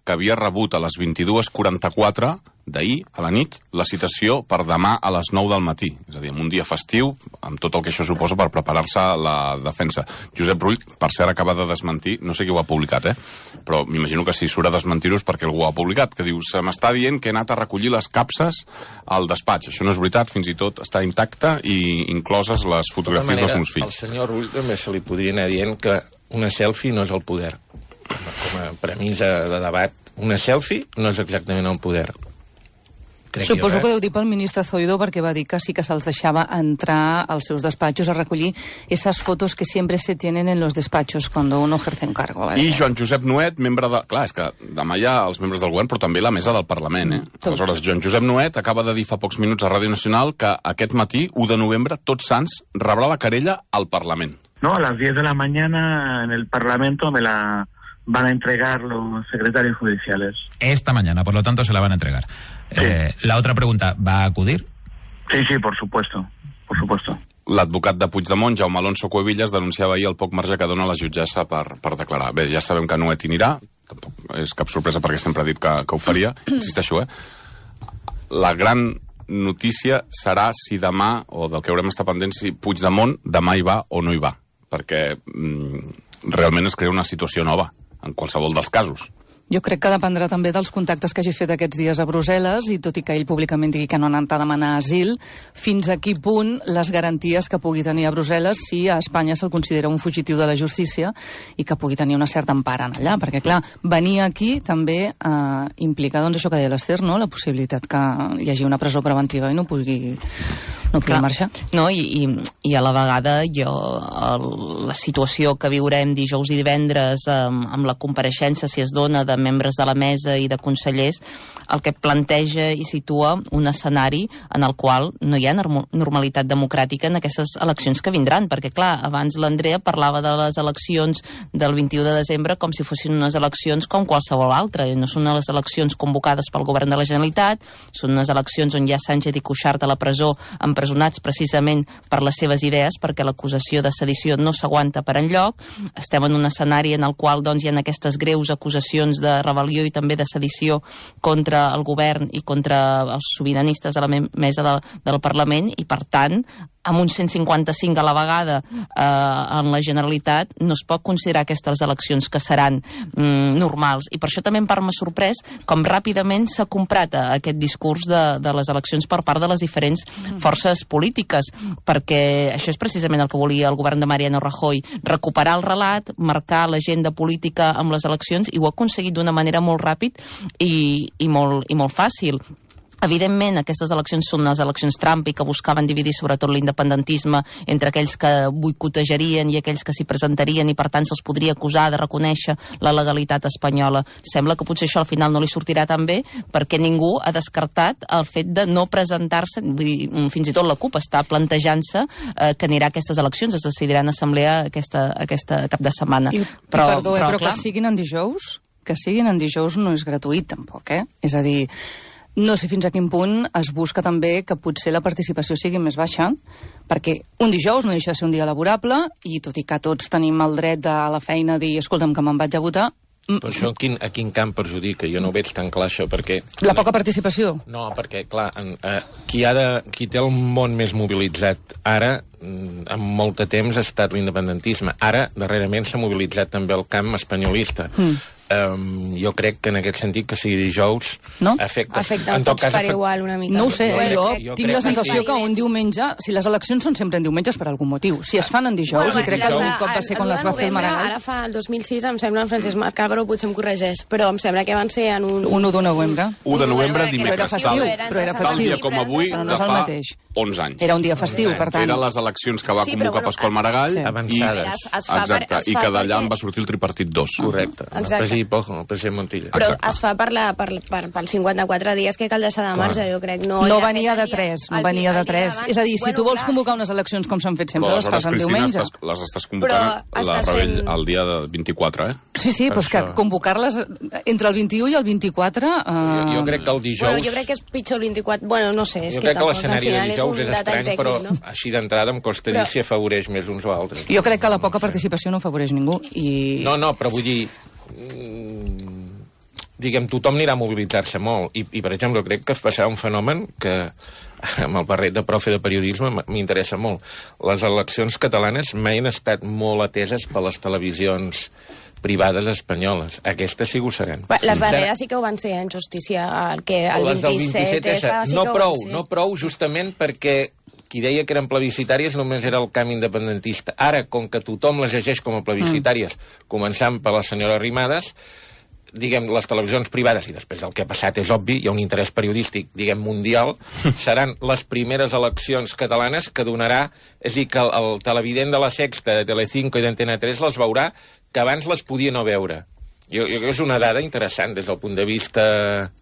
Speaker 2: que havia rebut a les 22:44 d'ahir, a la nit, la citació per demà a les 9 del matí. És a dir, en un dia festiu, amb tot el que això suposa per preparar-se a la defensa. Josep Rull, per cert, acaba de desmentir, no sé qui ho ha publicat, però m'imagino que si surt a desmentir-ho és perquè algú ho ha publicat, que diu, se m'està dient que he anat a recollir les capses al despatx. Això no és veritat, fins i tot està intacte i incloses les fotografies dels meus fills.
Speaker 7: Al senyor Rull també se li podria anar dient que una selfie no és el poder. Com a premissa de debat, una selfie no és exactament el poder.
Speaker 4: Suposo que deu dir pel ministre Zoido, perquè va dir que sí que se'ls deixava entrar als seus despatxos a recollir esas fotos que siempre se tienen en los despatxos cuando uno ejerce un cargo.
Speaker 2: I Joan Josep Nuet, membre de... Clar, és que demà hi ha els membres del govern, però també la mesa del Parlament, Aleshores, Joan Josep Nuet acaba de dir fa pocs minuts a Ràdio Nacional que aquest matí, 1 de novembre, Tots Sants rebrà la querella al Parlament.
Speaker 9: No, a las 10 de la mañana en el Parlamento me la van a entregar los secretarios judiciales.
Speaker 10: Esta mañana, por lo tanto, se la van a entregar. Sí. La otra pregunta, ¿va a acudir?
Speaker 9: Sí, por supuesto, por supuesto.
Speaker 2: L'advocat de Puigdemont, Jaume Alonso Cuevillas, denunciava ahir el poc marge que dona la jutgessa per declarar. Bé, ja sabem que Nuet hi anirà, tampoc és cap sorpresa perquè sempre ha dit que ho faria, insisteixo, La gran notícia serà si demà, o del que haurem estar pendents, si Puigdemont demà hi va o no hi va, perquè realment es crea una situació nova, en qualsevol dels casos.
Speaker 4: Jo crec que dependrà també dels contactes que hagi fet aquests dies a Brussel·les, i tot i que ell públicament digui que no ha anat a demanar asil, fins a quin punt les garanties que pugui tenir a Brussel·les si a Espanya se'l considera un fugitiu de la justícia i que pugui tenir una certa empara allà, perquè clar, venir aquí també implica, doncs això que deia l'Ester, no? La possibilitat que hi hagi una presó preventiva i no pugui marxar.
Speaker 3: No, i a la vegada la situació que viurem dijous i divendres amb la compareixença, si es dona, de membres de la mesa i de consellers, el que planteja i situa un escenari en el qual no hi ha normalitat democràtica en aquestes eleccions que vindran, perquè clar, abans l'Andrea parlava de les eleccions del 21 de desembre com si fossin unes eleccions com qualsevol altra, no són les eleccions convocades pel govern de la Generalitat, són unes eleccions on hi ha Sánchez i Cuixart a la presó, empresonats precisament per les seves idees, perquè l'acusació de sedició no s'aguanta per enlloc. Estem en un escenari en el qual doncs, hi ha aquestes greus acusacions de rebel·lió i també de sedició contra el govern i contra els sobiranistes de la mesa del Parlament, i per tant amb un 155 a la vegada en la Generalitat no es pot considerar aquestes eleccions que seran normals, i per això també en part m'ha sorprès com ràpidament s'ha comprat aquest discurs de les eleccions per part de les diferents forces polítiques, perquè això és precisament el que volia el govern de Mariano Rajoy, recuperar el relat, marcar l'agenda política amb les eleccions, i ho ha aconseguit d'una manera molt ràpid i molt fàcil. Evidentment, aquestes eleccions són unes eleccions trampa i que buscaven dividir sobretot l'independentisme entre aquells que boicotejarien i aquells que s'hi presentarien, i per tant se'ls podria acusar de reconèixer la legalitat espanyola. Sembla que potser això al final no li sortirà tan bé, perquè ningú ha descartat el fet de no presentar-se, fins i tot la CUP està plantejant-se que anirà a aquestes eleccions, es decidirà en assemblea aquesta cap de setmana.
Speaker 4: Però que siguin en dijous no és gratuït tampoc, És a dir, no sé fins a quin punt es busca també que potser la participació sigui més baixa, perquè un dijous no deixa de ser un dia laborable, i tot i que tots tenim el dret a la feina a dir, escolta'm, que me'n vaig a votar...
Speaker 7: Però això a quin camp perjudica? Jo no ho veig tan clar, això, perquè...
Speaker 4: La poca participació?
Speaker 7: No, perquè, clar, qui té el món més mobilitzat ara, en molt de temps, ha estat l'independentisme. Ara, darrerament, s'ha mobilitzat també el camp espanyolista. Jo crec que en aquest sentit que sigui dijous afecta
Speaker 8: tots per igual una mica.
Speaker 4: No ho sé, jo tinc la sensació que un diumenge, si les eleccions són sempre en diumenges per algun motiu, si es fan en dijous, i crec que algun cop va ser quan les va fer el Maragall.
Speaker 8: Ara fa el 2006, em sembla, en Francesc Marc Álvaro potser em corregeix, però em sembla que van ser en un...
Speaker 4: 1 de novembre.
Speaker 2: 1 de novembre, dimecres.
Speaker 4: Però era festiu.
Speaker 2: Tal dia com avui, de fa 11 anys.
Speaker 4: Era un dia festiu, per tant.
Speaker 2: Eren les eleccions que va convocar Pasqual Maragall, i que d'allà en va sortir el tripartit 2.
Speaker 7: Correcte. El president Montilla.
Speaker 8: Però es fa pels 54 dies que cal deixar de marge, jo crec.
Speaker 4: No venia de 3, no venia de 3. És a dir, si tu vols convocar unes eleccions com s'han fet sempre, les fas en diumenge.
Speaker 2: Les estàs convocant el dia 24,
Speaker 4: Sí, però és que convocar-les entre el 21 i el 24...
Speaker 7: Jo crec que el dijous...
Speaker 8: Bueno, jo crec que és pitjor el 24... Bueno, no sé,
Speaker 7: jo crec que l'escenari de dijous és estrany, però així d'entrada em costa dir si afavoreix més uns o altres.
Speaker 4: Jo crec que la poca participació no afavoreix ningú.
Speaker 7: No, però vull dir... tothom anirà a mobilitzar-se molt. I, per exemple, crec que es passarà un fenomen que, amb el barret de profe de periodisme, m'interessa molt. Les eleccions catalanes mai han estat molt ateses per les televisions privades espanyoles. Aquestes sí que ho seran.
Speaker 8: Les darreres sí que ho van ser, en justícia. El 27S
Speaker 7: no prou, justament perquè qui deia que eren plebiscitàries només era el camp independentista. Ara, com que tothom les llegeix com a plebiscitàries, començant per la senyora Arrimadas, diguem, les televisions privades, i després del que ha passat és obvi, hi ha un interès periodístic, diguem, mundial, seran les primeres eleccions catalanes que donarà, és a dir, que el televident de la Sexta, de Telecinco i d'Antena 3 les veurà que abans les podia no veure. Jo crec que és una dada interessant des del punt de vista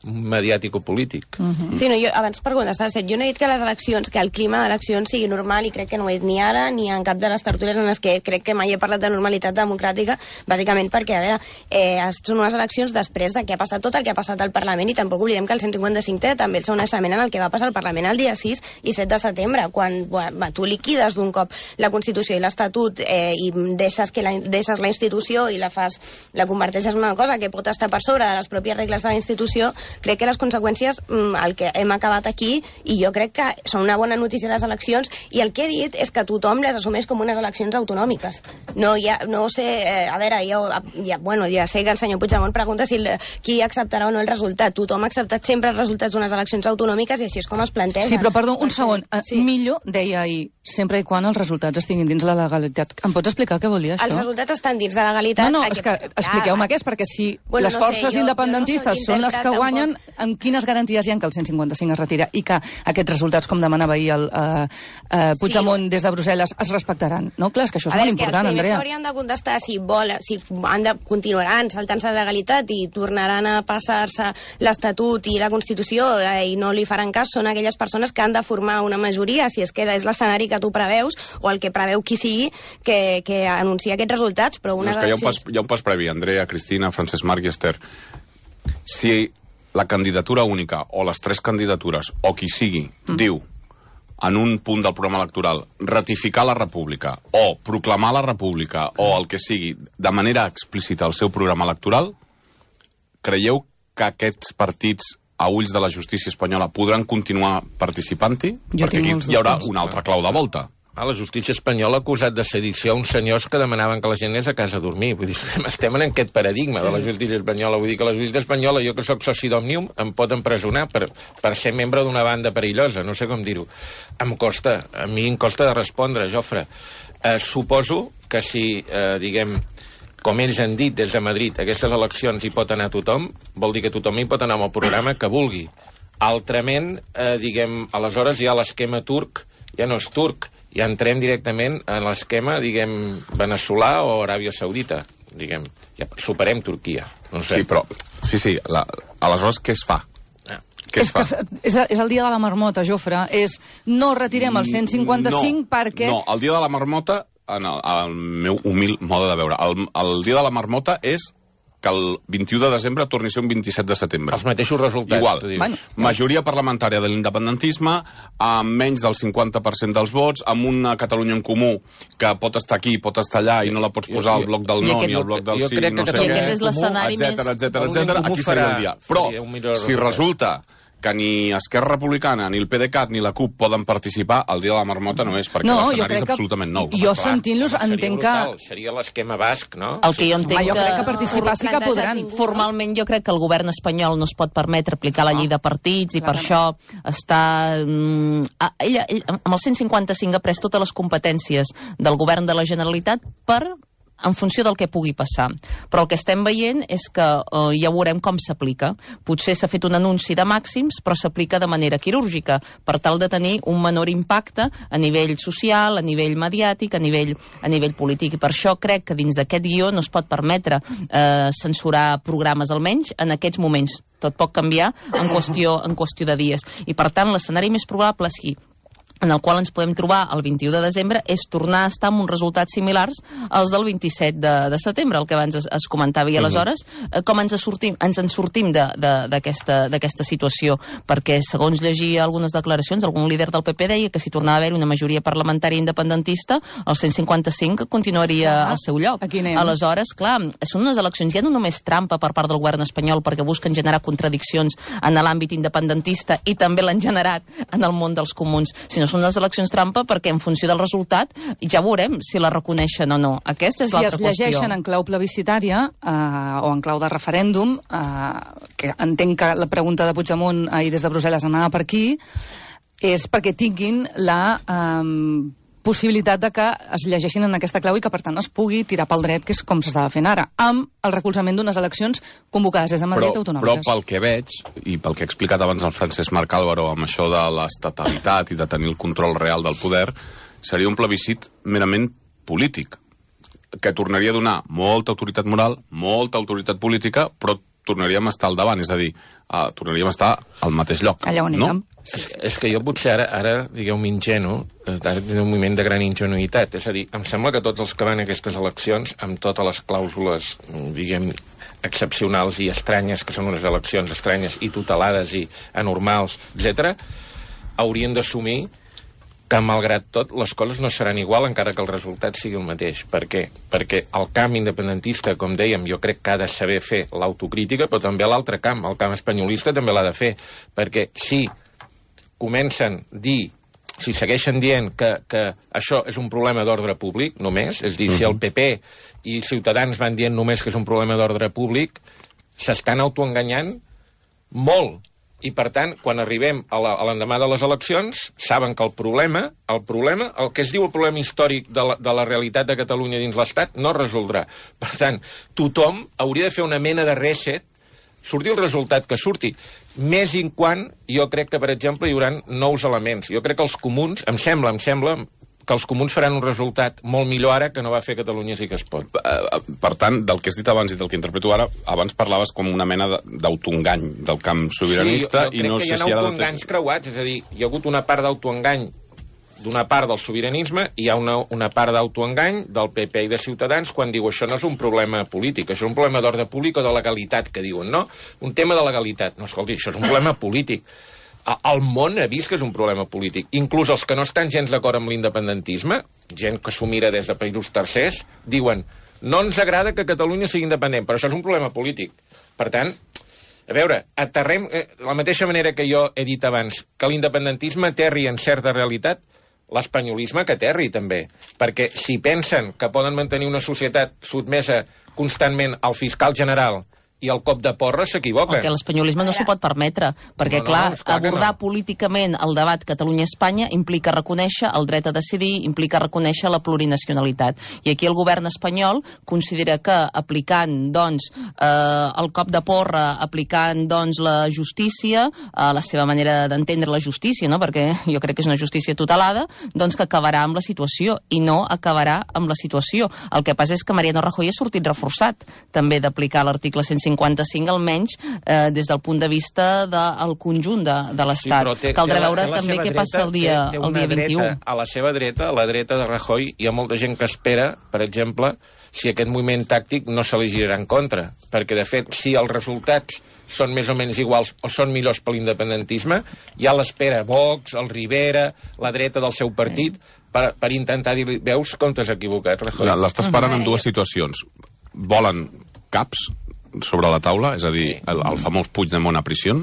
Speaker 7: mediàtico-polític.
Speaker 8: Sí, no, jo abans per contestar, jo no he dit que les eleccions, que el clima d'eleccions sigui normal, i crec que no ho he dit ni ara ni en cap de les tertúlies en les que crec que mai he parlat de normalitat democràtica, bàsicament perquè, a veure, són unes eleccions després de que ha passat tot el que ha passat al Parlament, i tampoc oblidem que el 155 té també el seu naixement en el que va passar al Parlament el dia 6 i 7 de setembre, quan tu liquides d'un cop la Constitució i l'Estatut i deixes la institució i la converteixes una cosa que pot estar per sobre de les pròpies regles de la institució. Crec que les conseqüències, el que hem acabat aquí, i jo crec que són una bona notícia les eleccions, i el que he dit és que tothom les assumeix com unes eleccions autonòmiques. No sé, a veure, ja sé que el senyor Puigdemont pregunta qui acceptarà o no el resultat. Tothom ha acceptat sempre els resultats d'unes eleccions autonòmiques i així és com es planteja.
Speaker 4: Sí, però perdó, un segon. Millor, deia ahir, sempre i quan els resultats estiguin dins la legalitat. Em pots explicar què vol dir això?
Speaker 8: Els resultats estan dins de la legalitat.
Speaker 4: No, és que expliqueu-me què és, perquè si les forces independentistes són les que guanyen, amb quines garanties hi ha que el 155 es retira i que aquests resultats, com demanava ahir el Puigdemont des de Brussel·les, es respectaran? No, clar, és que això és molt important, Andrea.
Speaker 8: Els primers que haurien de contestar si continuaran saltant-se la legalitat i tornaran a passar-se l'Estatut i la Constitució i no li faran cas, són aquelles persones que han de formar una majoria, si és que és l'escenari que tu preveus o el que preveu qui sigui que anuncia aquests resultats. Però
Speaker 2: hi ha un pas previ, Andrea, Cristina, Francesc Marc i Esther. Si la candidatura única o les tres candidatures o qui sigui diu en un punt del programa electoral ratificar la república o proclamar la república o el que sigui de manera explícita al seu programa electoral, creieu que aquests partits a ulls de la justícia espanyola podran continuar participant-hi? Perquè aquí hi haurà una altra clau de volta.
Speaker 7: La justícia espanyola ha acusat de sedició uns senyors que demanaven que la gent anés a casa a dormir. Vull dir, estem en aquest paradigma de la justícia espanyola. Vull dir que la justícia espanyola, jo que sóc soci d'Òmnium, em pot empresonar per ser membre d'una banda perillosa, no sé com dir-ho. A mi em costa de respondre, Jofre. Suposo que si, diguem, com ells han dit des de Madrid, aquestes eleccions hi pot anar tothom, vol dir que tothom hi pot anar amb el programa que vulgui. Altrament, diguem, aleshores ja l'esquema turc ja no és turc, ja entrem directament en l'esquema, diguem, veneçolà o Aràbia Saudita, diguem, ja superem Turquia. No sé.
Speaker 2: Sí, però, aleshores què es fa?
Speaker 4: És el dia de la marmota, Jofre. No retirem el 155 perquè...
Speaker 2: No, el dia de la marmota, en el meu humil mode de veure, el dia de la marmota és que el 21 de desembre torni a ser un 27 de setembre.
Speaker 7: Els mateixos resultats.
Speaker 2: Igual. Majoria parlamentària de l'independentisme, amb menys del 50% dels vots, amb una Catalunya en Comú que pot estar aquí, pot estar allà, i no la pots posar al bloc del no ni al bloc del sí, no sé què, etcètera. Aquí seria el dia. Però, si resulta que ni Esquerra Republicana, ni el PDeCAT, ni la CUP poden participar, el dia de la marmota no és, perquè l'escenari és absolutament nou.
Speaker 4: Jo sentint-los entenc que...
Speaker 7: Seria l'esquema basc, no?
Speaker 3: El que jo entenc
Speaker 4: jo crec que participar sí que podran.
Speaker 3: Formalment jo crec que el govern espanyol no es pot permetre aplicar la llei de partits i per això està... Ell, amb el 155 ha pres totes les competències del govern de la Generalitat en funció del que pugui passar. Però el que estem veient és que ja veurem com s'aplica. Potser s'ha fet un anunci de màxims, però s'aplica de manera quirúrgica, per tal de tenir un menor impacte a nivell social, a nivell mediàtic, a nivell polític. I per això crec que dins d'aquest guió no es pot permetre censurar programes, almenys en aquests moments. Tot pot canviar en qüestió de dies. I per tant, l'escenari més probable és en el qual ens podem trobar el 21 de desembre és tornar a estar amb uns resultats similars als del 27 de setembre, el que abans es comentava. I aleshores, com ens en sortim d'aquesta situació? Perquè, segons llegia algunes declaracions, algun líder del PP deia que si tornava a haver una majoria parlamentària independentista, el 155 continuaria al seu lloc. Aleshores, clar, són unes eleccions ja no només trampa per part del govern espanyol perquè busquen generar contradiccions en l'àmbit independentista i també l'han generat en el món dels comuns, sinó són unes eleccions trampa perquè en funció del resultat ja veurem si la reconeixen o no. Aquesta és l'altra qüestió.
Speaker 4: Si es llegeixen en clau plebiscitària o en clau de referèndum, que entenc que la pregunta de Puigdemont ahir des de Brussel·les anava per aquí, és perquè tinguin la possibilitat de que es llegeixin en aquesta clau i que, per tant, es pugui tirar pel dret, que és com s'estava fent ara, amb el recolzament d'unes eleccions convocades des de Madrid autonòmiques.
Speaker 2: Però pel que veig, i pel que ha explicat abans el Francesc Marc Álvaro amb això de l'estatalitat i de tenir el control real del poder, seria un plebiscit merament polític, que tornaria a donar molta autoritat moral, molta autoritat política, però tornaríem a estar al davant, és a dir, tornaríem a estar al mateix lloc.
Speaker 4: Allà on érem.
Speaker 7: És que jo potser ara digueu-me ingenu, ara tinc un moment de gran ingenuïtat. És a dir, em sembla que tots els que van a aquestes eleccions, amb totes les clàusules, diguem, excepcionals i estranyes, que són unes eleccions estranyes i tutelades i anormals, etc., haurien d'assumir que, malgrat tot, les coses no seran igual encara que el resultat sigui el mateix. Per què? Perquè el camp independentista, com dèiem, jo crec que ha de saber fer l'autocrítica, però també l'altre camp, el camp espanyolista, també l'ha de fer. Perquè si comencen a dir, si segueixen dient que això és un problema d'ordre públic, només, és a dir, si el PP i Ciutadans van dient només que és un problema d'ordre públic, s'estan autoenganyant molt. I, per tant, quan arribem a l'endemà de les eleccions, saben que el problema, el que es diu el problema històric de la realitat de Catalunya dins l'Estat, no es resoldrà. Per tant, tothom hauria de fer una mena de reset, surti el resultat que surti. Més i quan, jo crec que, per exemple, hi haurà nous elements. Jo crec que els comuns, em sembla que els comuns faran un resultat molt millor ara que no va fer Catalunya Sí que es pot.
Speaker 2: Per tant, del que has dit abans i del que interpreto ara, abans parlaves com una mena d'autoengany del camp sobiranista.
Speaker 7: Sí, jo crec que hi ha autoenganys creuats, és a dir, hi ha hagut una part d'autoengany d'una part del sobiranisme i hi ha una part d'autoengany del PP i de Ciutadans quan diu això no és un problema polític, això és un problema d'ordre públic o de legalitat, que diuen, no? Un tema de legalitat. No, escolti, això és un problema polític. El món ha vist que és un problema polític. Inclús els que no estan gens d'acord amb l'independentisme, gent que s'ho mira des de països tercers, diuen no ens agrada que Catalunya sigui independent, però això és un problema polític. Per tant, a veure, aterrem, la mateixa manera que jo he dit abans, que l'independentisme aterri en certa realitat, l'espanyolisme que aterri també, perquè si pensen que poden mantenir una societat sotmesa constantment al fiscal general i el cop de porra, s'equivoquen.
Speaker 3: Perquè l'espanyolisme no s'ho pot permetre, perquè, clar, abordar políticament el debat Catalunya-Espanya implica reconèixer el dret a decidir, implica reconèixer la plurinacionalitat. I aquí el govern espanyol considera que aplicant, doncs, el cop de porra, aplicant, doncs, la justícia, la seva manera d'entendre la justícia, no?, perquè jo crec que és una justícia tutelada, doncs que acabarà amb la situació, i no acabarà amb la situació. El que passa és que Mariano Rajoy ha sortit reforçat, també, d'aplicar l'article 155, almenys des del punt de vista del conjunt de l'Estat. Sí, caldrà veure també què passa el dia 21.
Speaker 7: A la seva dreta, a la dreta de Rajoy, hi ha molta gent que espera, per exemple, si aquest moviment tàctic no se li girarà en contra. Perquè, de fet, si els resultats són més o menys iguals o són millors per l'independentisme, ja l'espera Vox, el Rivera, la dreta del seu partit, per intentar dir-li, veus com t'has equivocat, Rajoy?
Speaker 2: L'està esperant en dues situacions. Volen caps sobre la taula, és a dir, el famós Puigdemont a prisió,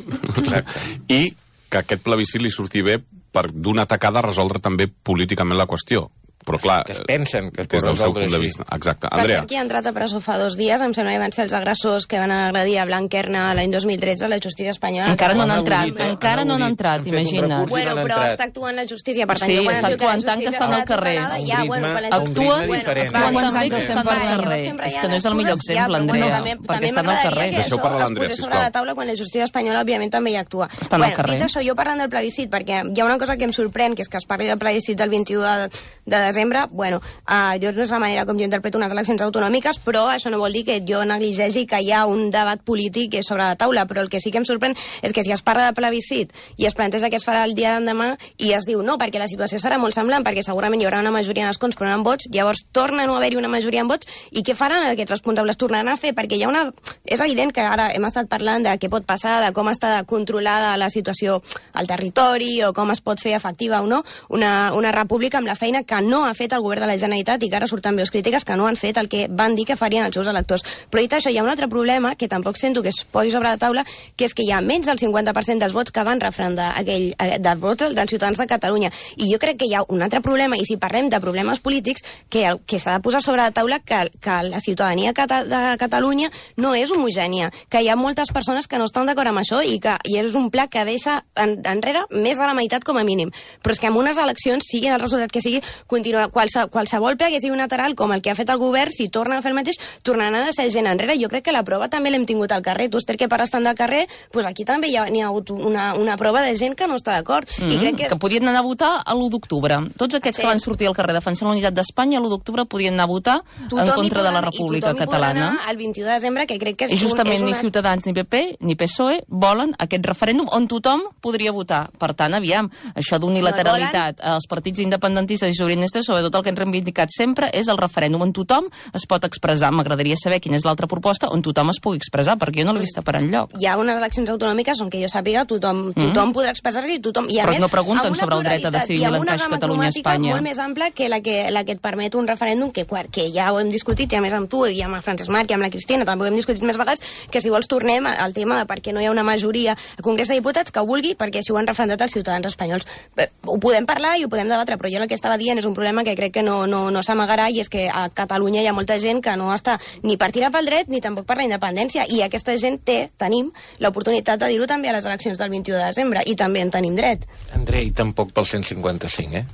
Speaker 2: i que aquest plebiscit li surti bé per d'una tacada resoldre també políticament la qüestió. Però clar,
Speaker 7: que es pensen que
Speaker 2: des del seu punt de vista. Exacte. Andrea.
Speaker 8: Qui ha entrat a presó fa 2 dies, em sembla que van ser els agressors que van agredir a Blanquerna l'any 2013 a la justícia espanyola.
Speaker 3: Encara no han entrat, imagina't.
Speaker 8: Bueno, però està actuant la justícia, per tant...
Speaker 3: Sí, està actuant tant que estan al carrer. Actuen tant que estan al carrer. És que no és el millor exemple, Andrea, perquè estan al carrer.
Speaker 2: Deixeu parlar l'Andrea, sisplau.
Speaker 8: Sobre la taula quan la justícia espanyola, òbviament, també hi actua.
Speaker 3: Estan al carrer.
Speaker 8: Dit això, jo parlant del plebiscit, perquè hi ha una cosa que em sorprèn, que és que es parli del plebiscit del 21 de desembre, bueno, jo no és la manera com jo interpreto unes eleccions autonòmiques, però això no vol dir que jo negligegi que hi ha un debat polític sobre la taula, però el que sí que em sorprèn és que si es parla de plebiscit i es planteja que es farà el dia d'endemà i es diu no, perquè la situació serà molt semblant, perquè segurament hi haurà una majoria en escons però no en vots, llavors torna a no haver-hi una majoria en vots, i què faran aquests responsables? Tornaran a fer, perquè hi ha una... És evident que ara hem estat parlant de què pot passar, de com està controlada la situació al territori o com es pot fer efectiva o no una república amb la feina que no ha fet el govern de la Generalitat i que ara surten veus crítiques que no han fet el que van dir que farien els seus electors. Però dit això, hi ha un altre problema que tampoc sento que es posi sobre la taula, que és que hi ha menys del 50% dels vots que van referendar dels vots dels ciutadans de Catalunya. I jo crec que hi ha un altre problema, i si parlem de problemes polítics, que s'ha de posar sobre la taula que la ciutadania de Catalunya no és homogènia, que hi ha moltes persones que no estan d'acord amb això i és un pla que deixa enrere més de la meitat com a mínim. Però és que en unes eleccions, sigui el resultat que sigui, qualsevol pla que sigui unilateral, com el que ha fet el govern, si torna a fer el mateix, tornaran a deixar gent enrere. Jo crec que la prova també l'hem tingut al carrer. Tu, Esther, que pares tant del carrer, doncs aquí també n'hi ha hagut una prova de gent que no està d'acord. I crec que
Speaker 3: podien anar a votar a l'1 d'octubre. Tots aquests que van sortir al carrer defensant la unitat d'Espanya, l'1 d'octubre podien anar a votar en contra de la República Catalana.
Speaker 8: El 21 de desembre, que crec que
Speaker 3: I justament ni Ciutadans, ni PP, ni PSOE volen aquest referèndum on tothom podria votar. Per tant, aviam, això d'unilateralitat, els partits independentistes i sobiranistes, sobretot el que han reivindicat sempre, és el referèndum on tothom es pot expressar. M'agradaria saber quina és l'altra proposta on tothom es pugui expressar, perquè jo no l'he vist per enlloc.
Speaker 8: Hi ha unes eleccions autonòmiques on que jo sàpiga tothom podrà expressar-se i tothom...
Speaker 3: Però no pregunten sobre el dret a decidir l'encaix Catalunya-Espanya.
Speaker 8: Molt més ampla que la que et permet un referèndum que ja ho hem discutit, i a més amb tu, i amb el Francesc Marc, i amb la Cristina, també ho hem discutit més vegades, que si vols tornem al tema de per què no hi ha una majoria al Congrés de Diputats que ho vulgui, perquè si ho han referendat els ciutadans espanyols. Ho podem parlar i ho podem debatre, però jo el que estava dient és un problema que crec que no s'amagarà, i és que a Catalunya hi ha molta gent que no està ni per tirar pel dret ni tampoc per la independència, i aquesta gent tenim l'oportunitat de dir-ho també a les eleccions del 21 de desembre, i també en tenim dret.
Speaker 7: Andrei, tampoc pel 155,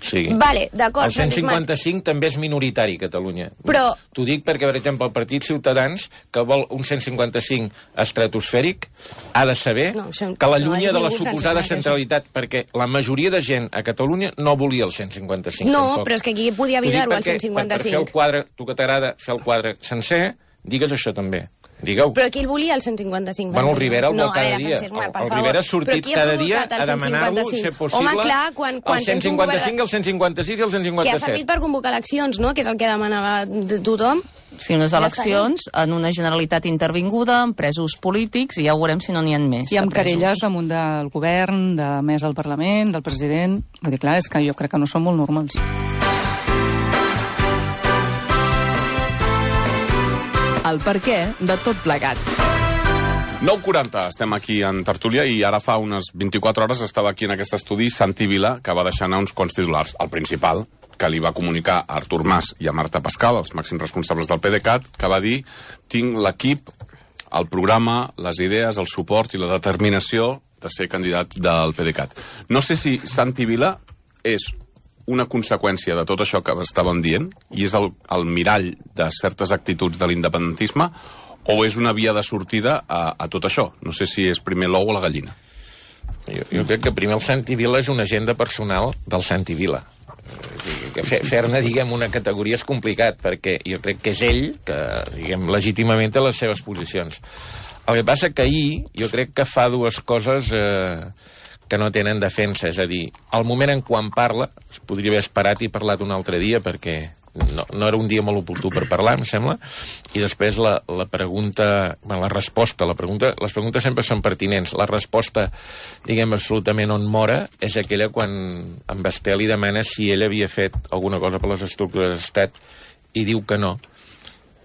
Speaker 7: Sí.
Speaker 8: Vale, d'acord.
Speaker 7: El 155 també és minoritari a Catalunya.
Speaker 8: Però...
Speaker 7: T'ho dic perquè, per exemple, el Partit Ciutadans, que vol un 155 estratosfèric, ha de saber que l'allunya de la suposada centralitat, perquè la majoria de gent a Catalunya no volia el 155.
Speaker 8: No,
Speaker 7: tampoc.
Speaker 8: però és que aquí podia evitar-ho, el 155.
Speaker 7: Per fer el quadre, tu que t'agrada fer el quadre sencer, digues això també. Digueu.
Speaker 8: Però qui el volia, el 155?
Speaker 7: Bueno, el Rivera el vol cada dia. El Rivera ha sortit cada dia a demanar-lo, ser possible,
Speaker 8: home, clar, quan
Speaker 7: el 155, el 156 i el 157.
Speaker 8: Que ha servit per convocar eleccions, no?, que és el que demanava tothom.
Speaker 3: Sí, unes eleccions en una Generalitat intervinguda, amb presos polítics, i ja ho veurem si no n'hi ha més.
Speaker 4: I amb querelles damunt del govern, de més al Parlament, del president. Vull dir, clar, és que jo crec que no són molt normals.
Speaker 6: El perquè de tot plegat.
Speaker 2: 9:40, estem aquí en tertúlia, i ara fa unes 24 hores estava aquí en aquest estudi Santi Vila, que va deixar anar uns quants titulars. El principal, que li va comunicar a Artur Mas i a Marta Pascal, els màxims responsables del PDeCAT, que va dir: tinc l'equip, el programa, les idees, el suport i la determinació de ser candidat del PDeCAT. No sé si Santi Vila és una conseqüència de tot això que estàvem dient, i és el mirall de certes actituds de l'independentisme, o és una via de sortida a tot això? No sé si és primer l'ou o la gallina.
Speaker 7: Jo crec que primer el Santi Vila és una agenda personal del Santi Vila. Fer-ne, diguem, una categoria és complicat, perquè jo crec que és ell que, diguem, legítimament té les seves posicions. El que passa que ahir jo crec que fa dues coses que no tenen defensa, és a dir, al moment en quan parla, es podria haver esperat i parlat un altre dia, perquè no era un dia molt oportú per parlar, em sembla, i després la pregunta, bueno, la resposta, les preguntes sempre són pertinents, la resposta, diguem, absolutament on mora, és aquella quan en Basté li demana si ell havia fet alguna cosa per les estructures d'estat, i diu que no,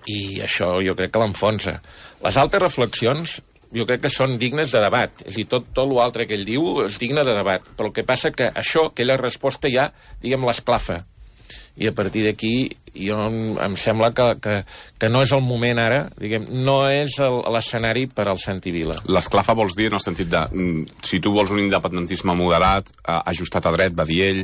Speaker 7: i això jo crec que l'enfonsa. Les altres reflexions jo crec que són dignes de debat. És a dir, tot l'altre que ell diu és digne de debat. Però el que passa que això, aquella resposta ja, diguem, l'esclafa. I a partir d'aquí, em sembla que no és el moment ara, diguem, no és l'escenari per al Santi Vila.
Speaker 2: L'esclafa vols dir en el sentit de, si tu vols un independentisme moderat, ajustat a dret, va dir ell,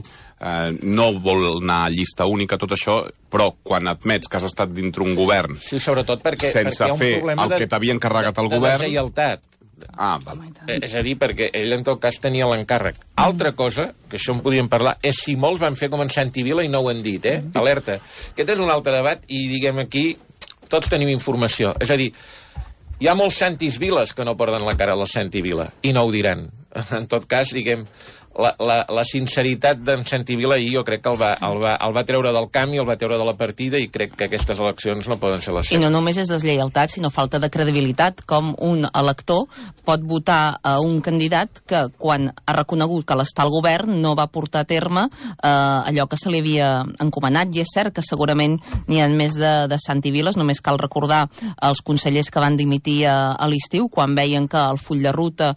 Speaker 2: no vol anar a llista única, tot això, però quan admets que has estat dintre un govern,
Speaker 7: sí, sobretot perquè
Speaker 2: sense
Speaker 7: hi ha un
Speaker 2: fer
Speaker 7: problema
Speaker 2: el que t'havia encarregat el govern...
Speaker 7: De deslleialtat.
Speaker 2: Val.
Speaker 7: És a dir, perquè ell en tot cas tenia l'encàrrec. Altra cosa, que això en podíem parlar, és si molts van fer com en Santi Vila i no ho han dit, Alerta. Aquest és un altre debat i, diguem, aquí tots tenim informació. És a dir, hi ha molts Santis Viles que no porten la cara a la Santi Vila i no ho diran. En tot cas, diguem, la sinceritat d'en Santi Vila i jo crec que el va treure del camp i el va treure de la partida i crec que aquestes eleccions no poden ser les seves.
Speaker 3: I no només és deslleialtat, sinó falta de credibilitat, com un elector pot votar a un candidat que quan ha reconegut que l'està al govern no va portar a terme allò que se li havia encomanat, i és cert que segurament n'hi ha més de Santi Viles, només cal recordar els consellers que van dimitir a l'estiu, quan veien que el full de ruta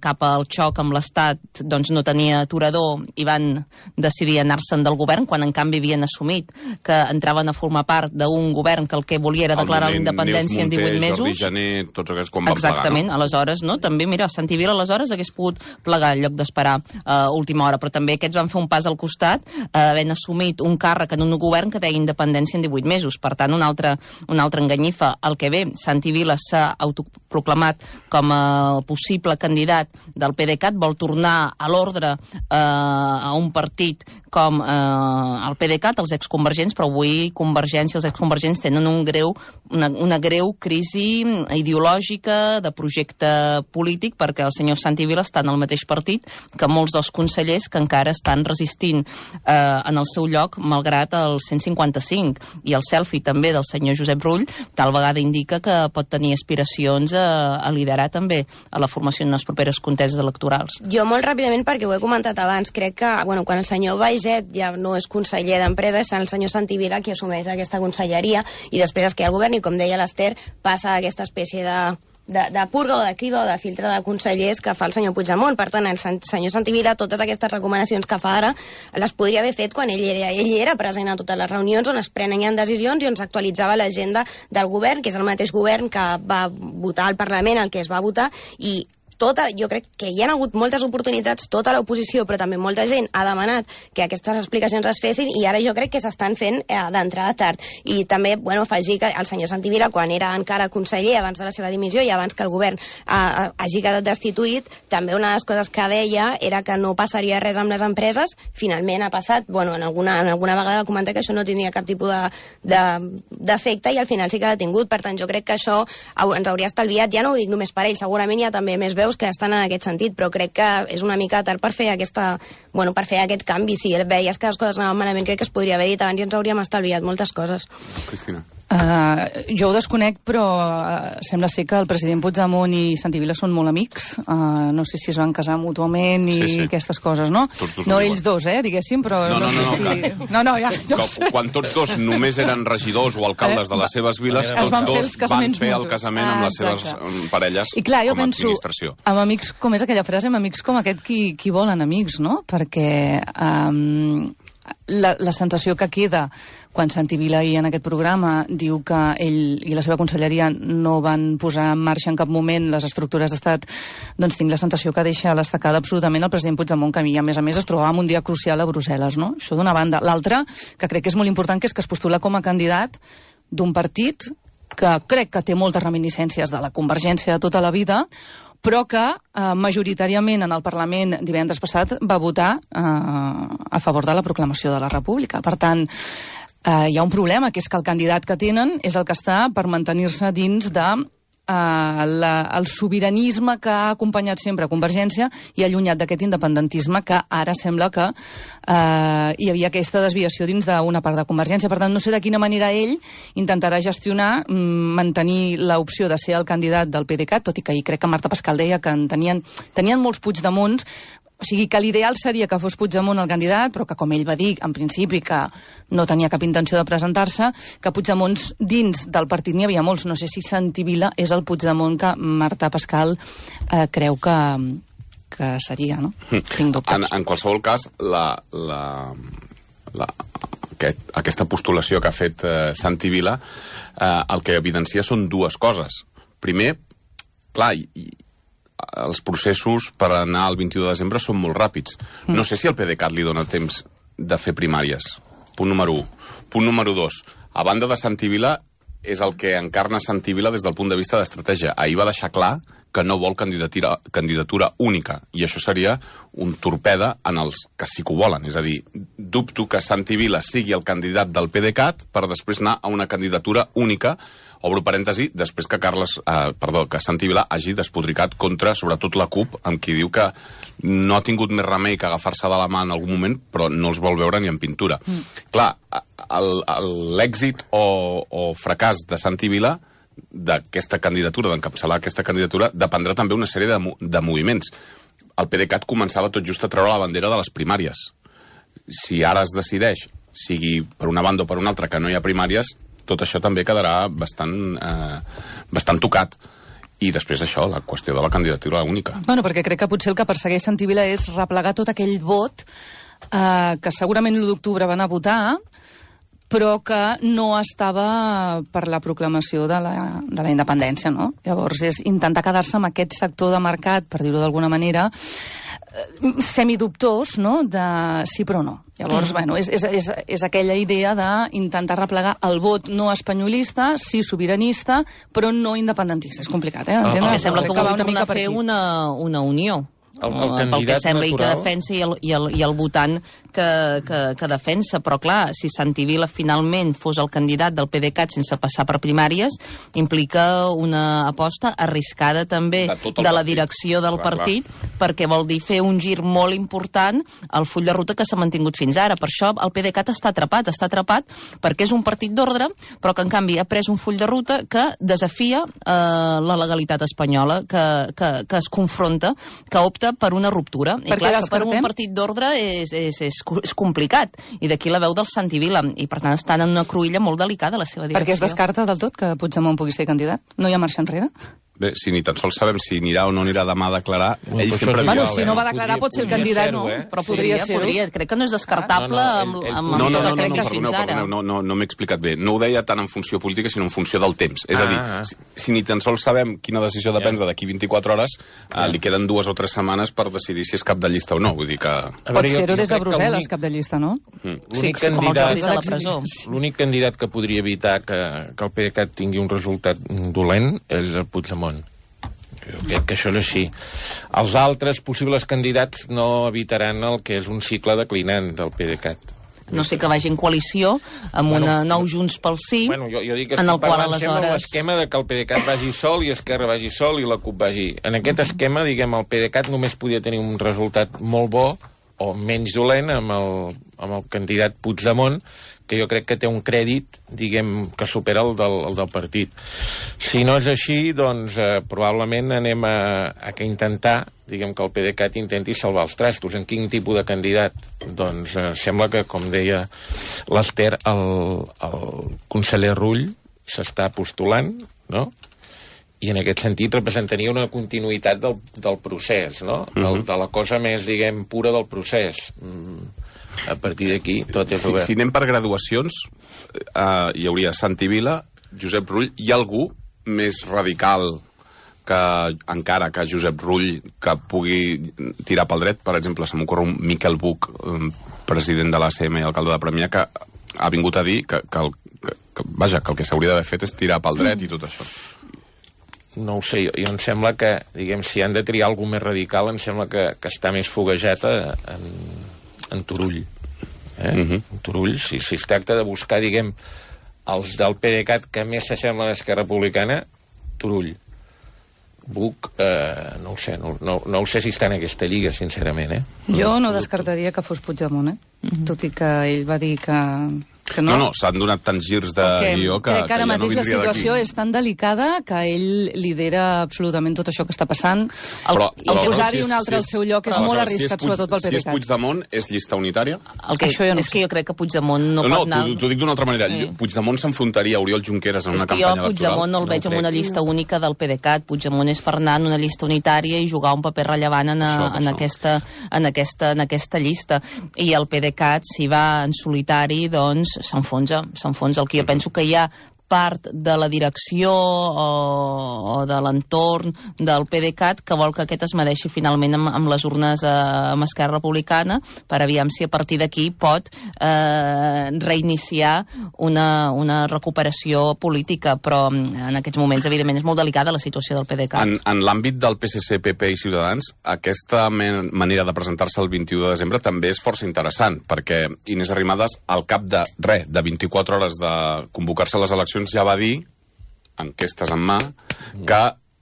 Speaker 3: cap al xoc amb l'Estat doncs no tenia aturador i van decidir anar-se'n del govern, quan en canvi havien assumit que entraven a formar part d'un govern que el que volia era declarar la independència en 18 mesos.
Speaker 2: Jordi Jané, tots aquests quan van plegar,
Speaker 3: exactament, no? Aleshores, no? També, mira, Santi Vila aleshores hagués pogut plegar en lloc d'esperar última hora, però també aquests van fer un pas al costat, havent assumit un càrrec en un govern que deia independència en 18 mesos. Per tant, una altra enganyifa. El que ve, Santi Vila s'ha autoproclamat com a possible candidat del PDeCAT, vol tornar a l'ordre a un partit com el PDeCAT, els exconvergents, però avui Convergència, els exconvergents tenen una greu crisi ideològica, de projecte polític, perquè el senyor Santi Vila està en el mateix partit que molts dels consellers que encara estan resistint en el seu lloc, malgrat el 155. I el selfie també del senyor Josep Rull tal vegada indica que pot tenir aspiracions a liderar també a la formació en les properes conteses electorals.
Speaker 8: Jo molt ràpidament, perquè ho he comentat abans, crec que quan el senyor Baiget ja no és conseller d'Empresa, és el senyor Santi Vila qui assumeix aquesta conselleria i després es queda el govern i, com deia l'Ester, passa aquesta espècie de purga o de criba o de filtre de consellers que fa el senyor Puigdemont. Per tant, el senyor Santi Vila, totes aquestes recomanacions que fa ara, les podria haver fet quan ell era present a totes les reunions on es prenen decisions i on s'actualitzava l'agenda del govern, que és el mateix govern que va votar al Parlament, el que es va votar, i jo crec que hi ha hagut moltes oportunitats, tota l'oposició, però també molta gent ha demanat que aquestes explicacions es fessin i ara jo crec que s'estan fent d'entrada tard. I també, afegir que el senyor Santi Vila, quan era encara conseller, abans de la seva dimissió i abans que el govern hagi quedat destituït, també una de les coses que deia era que no passaria res amb les empreses. Finalment ha passat, en alguna vegada va comentar que això no tindria cap tipus d'efecte i al final sí que l'ha tingut. Per tant, jo crec que això ens hauria estalviat, ja no ho dic només per ell, segurament hi ha també més veus que estan en aquest sentit, però crec que és una mica tard per fer per fer aquest canvi. Si veies que les coses anaven malament, crec que es podria haver dit abans i ens hauríem estalviat moltes coses.
Speaker 2: Cristina.
Speaker 4: Jo ho desconec, però sembla ser que el president Puigdemont i Santi Vila són molt amics. No sé si es van casar mútuament i aquestes coses, no? No ells dos, diguéssim, però no sé si... No,
Speaker 2: quan tots dos només eren regidors o alcaldes de les seves viles, tots dos van fer el casament amb les seves parelles com a administració.
Speaker 4: Amb amics, com és aquella frase, amb amics com aquest qui volen amics, no? Perquè la sensació que queda quan Santi Vila en aquest programa diu que ell i la seva conselleria no van posar en marxa en cap moment les estructures d'estat, doncs tinc la sensació que deixa a l'estacada absolutament el president Puigdemont, que a més es trobava en un dia crucial a Brussel·les, no? Això d'una banda. L'altra, que crec que és molt important, que és que es postula com a candidat d'un partit que crec que té moltes reminiscències de la Convergència de tota la vida, però que majoritàriament en el Parlament divendres passat va votar a favor de la proclamació de la República. Per tant, hi ha un problema, que és que el candidat que tenen és el que està per mantenir-se dins de el sobiranisme que ha acompanyat sempre Convergència i allunyat d'aquest independentisme que ara sembla que hi havia aquesta desviació dins d'una part de Convergència. Per tant, no sé de quina manera ell intentarà gestionar, mantenir l'opció de ser el candidat del PDeCAT, tot i que ahir crec que Marta Pascal deia que tenien molts Puigdemonts. O sigui, que l'ideal seria que fos Puigdemont el candidat, però que, com ell va dir, en principi, que no tenia cap intenció de presentar-se, que Puigdemonts dins del partit n'hi havia molts. No sé si Santi Vila és el Puigdemont que Marta Pascal creu que seria, no? Tinc dubtes.
Speaker 2: En qualsevol cas, aquesta postulació que ha fet Santi Vila, el que evidencia són dues coses. Primer, clar, els processos per anar al 21 de desembre són molt ràpids. No sé si al PDeCAT li dona temps de fer primàries. Punt número 1. Punt número 2. A banda de Santi Vila, és el que encarna Santi Vila des del punt de vista d'estratègia. Ahir va deixar clar que no vol candidatura única, i això seria un torpede en els que sí que ho volen. És a dir, dubto que Santi Vila sigui el candidat del PDeCAT per després anar a una candidatura única, obro parèntesi, després que que Santi Vila hagi despodricat contra, sobretot, la CUP, amb qui diu que no ha tingut més remei que agafar-se de la mà en algun moment, però no els vol veure ni en pintura. Clar, l'èxit o fracàs de Santi Vila d'aquesta candidatura, d'encapçalar aquesta candidatura, dependrà també una sèrie de moviments. El PDeCAT començava tot just a treure la bandera de les primàries. Si ara es decideix, sigui per una banda o per una altra, que no hi ha primàries, tot això també quedarà bastant tocat. I després això, la qüestió de la candidatura única.
Speaker 4: Bueno, perquè crec que potser el que persegueix Santi Vila és replegar tot aquell vot que segurament l'1 d'octubre van a votar, però que no estava per la proclamació de la independència, no? Llavors és intentar quedar-se amb aquest sector de mercat, per dir-ho d'alguna manera, semidubtós, no?, de sí però no. Llavors, bueno, és aquella idea d'intentar replegar el vot no espanyolista, sí sobiranista, però no independentista. És complicat,
Speaker 3: Perquè sembla que vol tornar a fer una unió. Pel que sembla, i que defensa i el votant que defensa, però clar, si Santi Vila finalment fos el candidat del PDeCAT sense passar per primàries, implica una aposta arriscada també de la direcció del partit, perquè vol dir fer un gir molt important al full de ruta que s'ha mantingut fins ara. Per això el PDeCAT està atrapat perquè és un partit d'ordre, però que en canvi ha pres un full de ruta que desafia la legalitat espanyola, que es confronta, que opta per una ruptura. I clar, això per un partit d'ordre és complicat. I d'aquí la veu del Santi Vila. I per tant estan en una cruïlla molt delicada la seva direcció.
Speaker 4: Per què es descarta del tot que Puigdemont pugui ser candidat? No hi ha marxa enrere?
Speaker 2: Bé, si ni tan sols sabem si anirà o no anirà demà a declarar, ell sempre...
Speaker 4: Bueno, si no va declarar pot ser el candidat, no? Però podria ser-ho.
Speaker 3: Crec que no és descartable amb tot el que crec fins ara.
Speaker 2: No m'he explicat bé. No ho deia tant en funció política, sinó en funció del temps. És a dir, si ni tan sols sabem quina decisió depèn d'aquí 24 hores, li queden 2 o 3 setmanes per decidir si és cap de llista o no. Vull dir que...
Speaker 4: Pot ser-ho des de Brussel·les, cap de llista, no?
Speaker 7: L'únic candidat que podria evitar que el PDeCAT tingui un resultat dolent és el Puigdemont. Jo crec que això és així. Els altres possibles candidats no evitaran el que és un cicle declinant del PDeCAT.
Speaker 3: No sé que vagi en coalició amb una nou Junts pel Sí,
Speaker 7: jo dic que estic parlant sempre de l'esquema de que el PDeCAT vagi sol i Esquerra vagi sol i la CUP vagi. En aquest esquema, diguem, el PDeCAT només podia tenir un resultat molt bo o menys dolent amb el candidat Puigdemont, que jo crec que té un crèdit, diguem, que supera el del partit. Si no és així, doncs probablement anem a intentar, diguem, que el PDeCAT intenti salvar els trastos. En quin tipus de candidat? Doncs sembla que, com deia l'Ester, el conseller Rull s'està postulant, no?, i en aquest sentit representaria una continuïtat del procés, no?, de la cosa més, diguem, pura del procés. A partir d'aquí tot és obert.
Speaker 2: Si anem per graduacions, hi hauria Santi Vila, Josep Rull, hi ha algú més radical encara que Josep Rull que pugui tirar pel dret? Per exemple, se m'ocorre un Miquel Buch, president de l'ACM i alcalde de Premià, que ha vingut a dir que el que s'hauria d'haver fet és tirar pel dret i tot això.
Speaker 7: No ho sé, jo em sembla que, diguem, si han de triar algú més radical, em sembla que està més foguejat en Turull. En Turull, si es tracta de buscar, diguem, els del PDeCAT que més s'assemblen a Esquerra Republicana, Turull. Buch, no ho sé, no ho sé si està en aquesta lliga, sincerament,
Speaker 4: Jo no descartaria que fos Puigdemont, tot i que ell va dir que no.
Speaker 2: No, s'han donat tants girs de guió que
Speaker 4: crec que ara
Speaker 2: ja
Speaker 4: mateix la situació és tan delicada que ell lidera absolutament tot això que està passant. I posar-hi un altre al seu lloc és molt arriscat, sobretot pel PDeCAT.
Speaker 2: Si és Puigdemont, és llista unitària?
Speaker 3: És que jo crec que Puigdemont no pot anar...
Speaker 2: No, t'ho dic d'una altra manera. Puigdemont s'enfrontaria a Oriol Junqueras en una campanya electoral.
Speaker 3: Jo Puigdemont no el veig en una llista única del PDeCAT. Puigdemont és per anar en una llista unitària i jugar un paper rellevant en aquesta llista. I el PDeCAT, si va en solitari, doncs s'enfonsa. El que jo penso que hi ha part de la direcció o de l'entorn del PDeCAT que vol que aquest es medeixi finalment amb les urnes amb Esquerra Republicana per aviam si a partir d'aquí pot reiniciar una recuperació política, però en aquests moments, evidentment, és molt delicada la situació del PDeCAT.
Speaker 2: En l'àmbit del PSC, PP i Ciutadans, aquesta manera de presentar-se el 21 de desembre també és força interessant, perquè Inés Arrimadas, al cap de 24 hores de convocar-se a les eleccions, ja va dir, enquestes en mà, que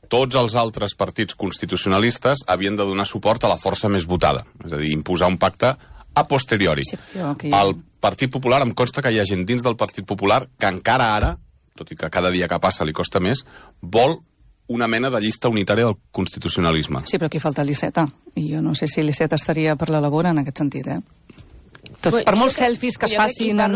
Speaker 2: tots els altres partits constitucionalistes havien de donar suport a la força més votada, és a dir, imposar un pacte a posteriori. Sí, el Partit Popular, em consta que hi ha gent dins del Partit Popular que encara ara, tot i que cada dia que passa li costa més, vol una mena de llista unitària del constitucionalisme.
Speaker 4: Sí, però aquí falta l'Iceta, i jo no sé si l'Iceta estaria per la labor en aquest sentit, per molts selfies que es facin en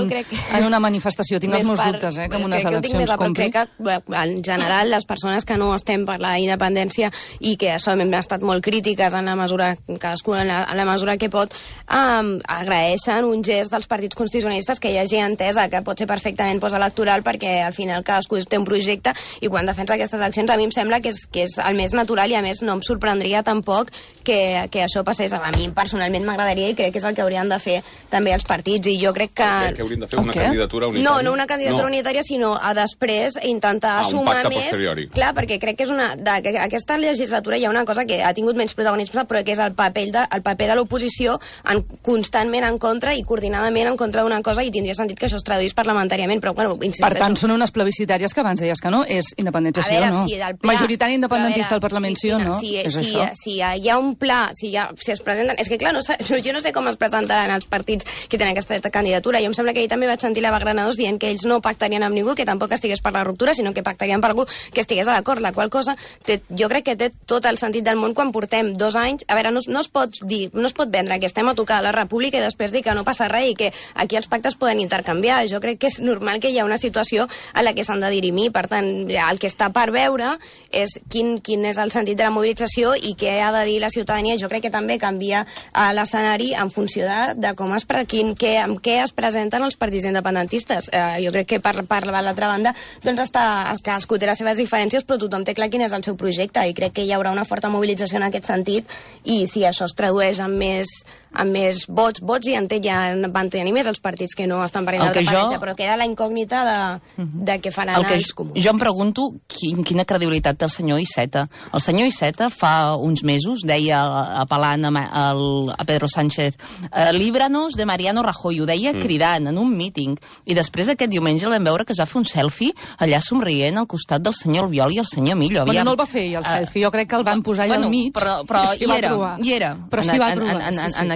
Speaker 4: una manifestació, tinc els meus dubtes, que en unes eleccions compri.
Speaker 8: Crec que, en general, les persones que no estem per la independència i que hem estat molt crítiques en la mesura, cadascú en la mesura que pot, agraeixen un gest dels partits constitucionalistes que hi hagi entesa, que pot ser perfectament postelectoral, perquè al final cadascú té un projecte i quan defensa aquestes eleccions a mi em sembla que és el més natural i a més no em sorprendria tampoc que això passés. A mi personalment m'agradaria i crec que és el que haurien de fer també els partits, i jo crec que...
Speaker 2: Que haurien de fer una candidatura unitària?
Speaker 8: No una candidatura unitària, sinó a després intentar sumar més...
Speaker 2: posteriori.
Speaker 8: Clar, perquè crec que és aquesta legislatura hi ha una cosa que ha tingut menys protagonisme, però que és el paper de l'oposició constantment en contra i coordinadament en contra d'una cosa, i tindria sentit que això es traduís parlamentàriament, però bueno, insisteixo.
Speaker 4: Per tant, són unes plebiscitàries que abans deies que no, és independència sí o no? Si majoritari independentista al Parlament sí o no?
Speaker 8: Si hi ha un pla, si es presenten... És que clar, jo no sé com es presentaran els partits que tenen aquesta candidatura. Jo em sembla que ahir també vaig sentir l'Eva Granados dient que ells no pactarien amb ningú, que tampoc estigués per la ruptura, sinó que pactarien per algú que estigués d'acord, la qual cosa jo crec que té tot el sentit del món quan portem 2 anys. A veure, no es pot vendre que estem a tocar la República i després dir que no passa res i que aquí els pactes poden intercanviar. Jo crec que és normal que hi ha una situació a la que s'han de dirimir. Per tant, el que està per veure és quin és el sentit de la mobilització i què ha de dir la ciutadania. Jo crec que també canvia l'escenari en funció de com amb què es presenten els partits independentistes. Jo crec que per l'altra banda doncs cadascú té les seves diferències, però tothom té clar quin és el seu projecte i crec que hi haurà una forta mobilització en aquest sentit, i si això es tradueix en més vots i ja van tenir més els partits que no estan per independència, però queda la incògnita de què faran els comuns.
Speaker 3: Jo em pregunto quina credibilitat té el senyor Iceta. El senyor Iceta fa uns mesos deia, apel·lant a Pedro Sánchez, líbranos de Mariano Rajoy, ho deia cridant en un míting, i després aquest diumenge el vam veure que es va fer un selfie allà somrient al costat del senyor Albiol i el senyor Millo.
Speaker 4: Bueno, no el va fer el selfie, jo crec que el van posar allà al mig,
Speaker 3: però hi era,
Speaker 4: però s'hi va trobar,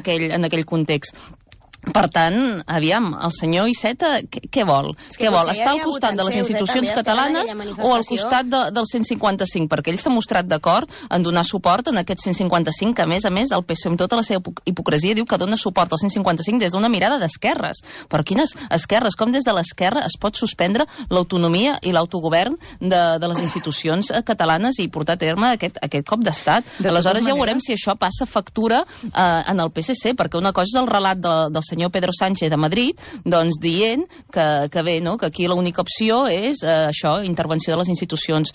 Speaker 3: en aquell context. Per tant, aviam, el senyor Iceta què vol? Què vol? Està al costat de les institucions catalanes o al costat del 155? Perquè ell s'ha mostrat d'acord en donar suport en aquest 155, que a més, el PSOE amb tota la seva hipocresia diu que dona suport al 155 des d'una mirada d'esquerres. Però quines esquerres? Com des de l'esquerra es pot suspendre l'autonomia i l'autogovern de les institucions catalanes i portar a terme aquest cop d'estat? Aleshores ja veurem si això passa factura en el PSC, perquè una cosa és el relat del senyor Pedro Sánchez de Madrid, doncs dient que bé, no? Que aquí l'única opció és això, intervenció de les institucions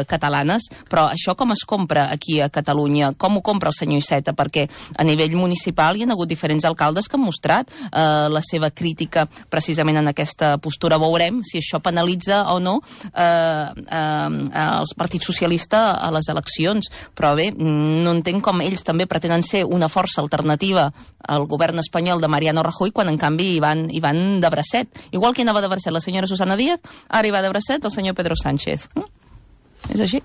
Speaker 3: catalanes, però això com es compra aquí a Catalunya? Com ho compra el senyor Iceta? Perquè a nivell municipal hi ha hagut diferents alcaldes que han mostrat la seva crítica precisament en aquesta postura. Veurem si això penalitza o no els partits socialistes a les eleccions, però bé, no entenc com ells també pretenen ser una força alternativa al govern espanyol de Mariano Rajoy, quan en canvi hi van de bracet. Igual que anava de bracet la senyora Susana Díaz, ara hi va de bracet el senyor Pedro Sánchez. És així.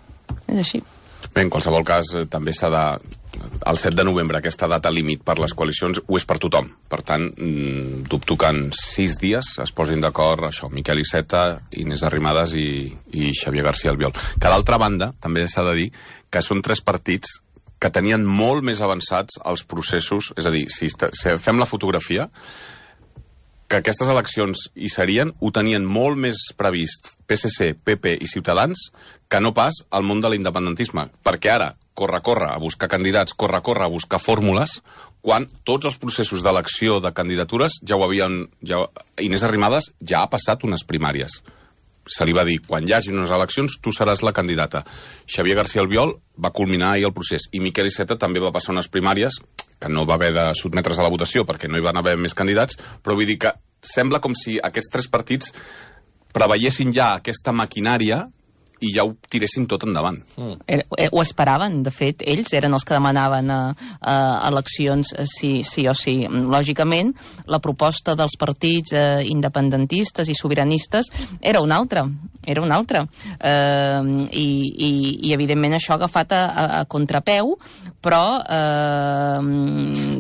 Speaker 2: Bé, en qualsevol cas, també s'ha de... El 7 de novembre, aquesta data límit per les coalicions, ho és per tothom. Per tant, dubto que en 6 dies es posin d'acord això, Miquel Iceta, Inés Arrimadas i Xavier García Albiol. Que d'altra banda, també s'ha de dir que són 3 partits que tenien molt més avançats els processos, és a dir, si fem la fotografia, que aquestes eleccions hi serien, ho tenien molt més previst PSC, PP i Ciutadans que no pas al món de l'independentisme, perquè ara corre a buscar candidats, corre a buscar fórmules, quan tots els processos d'elecció de candidatures ja ho havien... Inés Arrimadas ja ha passat unes primàries. se li va dir, quan hi hagi unes eleccions, tu seràs la candidata. Xavier García Albiol va culminar ahir el procés, i Miquel Iceta també va passar unes primàries, que no va haver de sotmetre's a la votació perquè no hi van haver més candidats, però vull dir que sembla com si aquests 3 partits preveiessin ja aquesta maquinària i ja ho tiressin tot endavant.
Speaker 3: Ho esperaven, de fet, ells eren els que demanaven eleccions sí o sí. Lògicament, la proposta dels partits independentistes i sobiranistes era una altra. I evidentment això ha agafat a contrapeu, però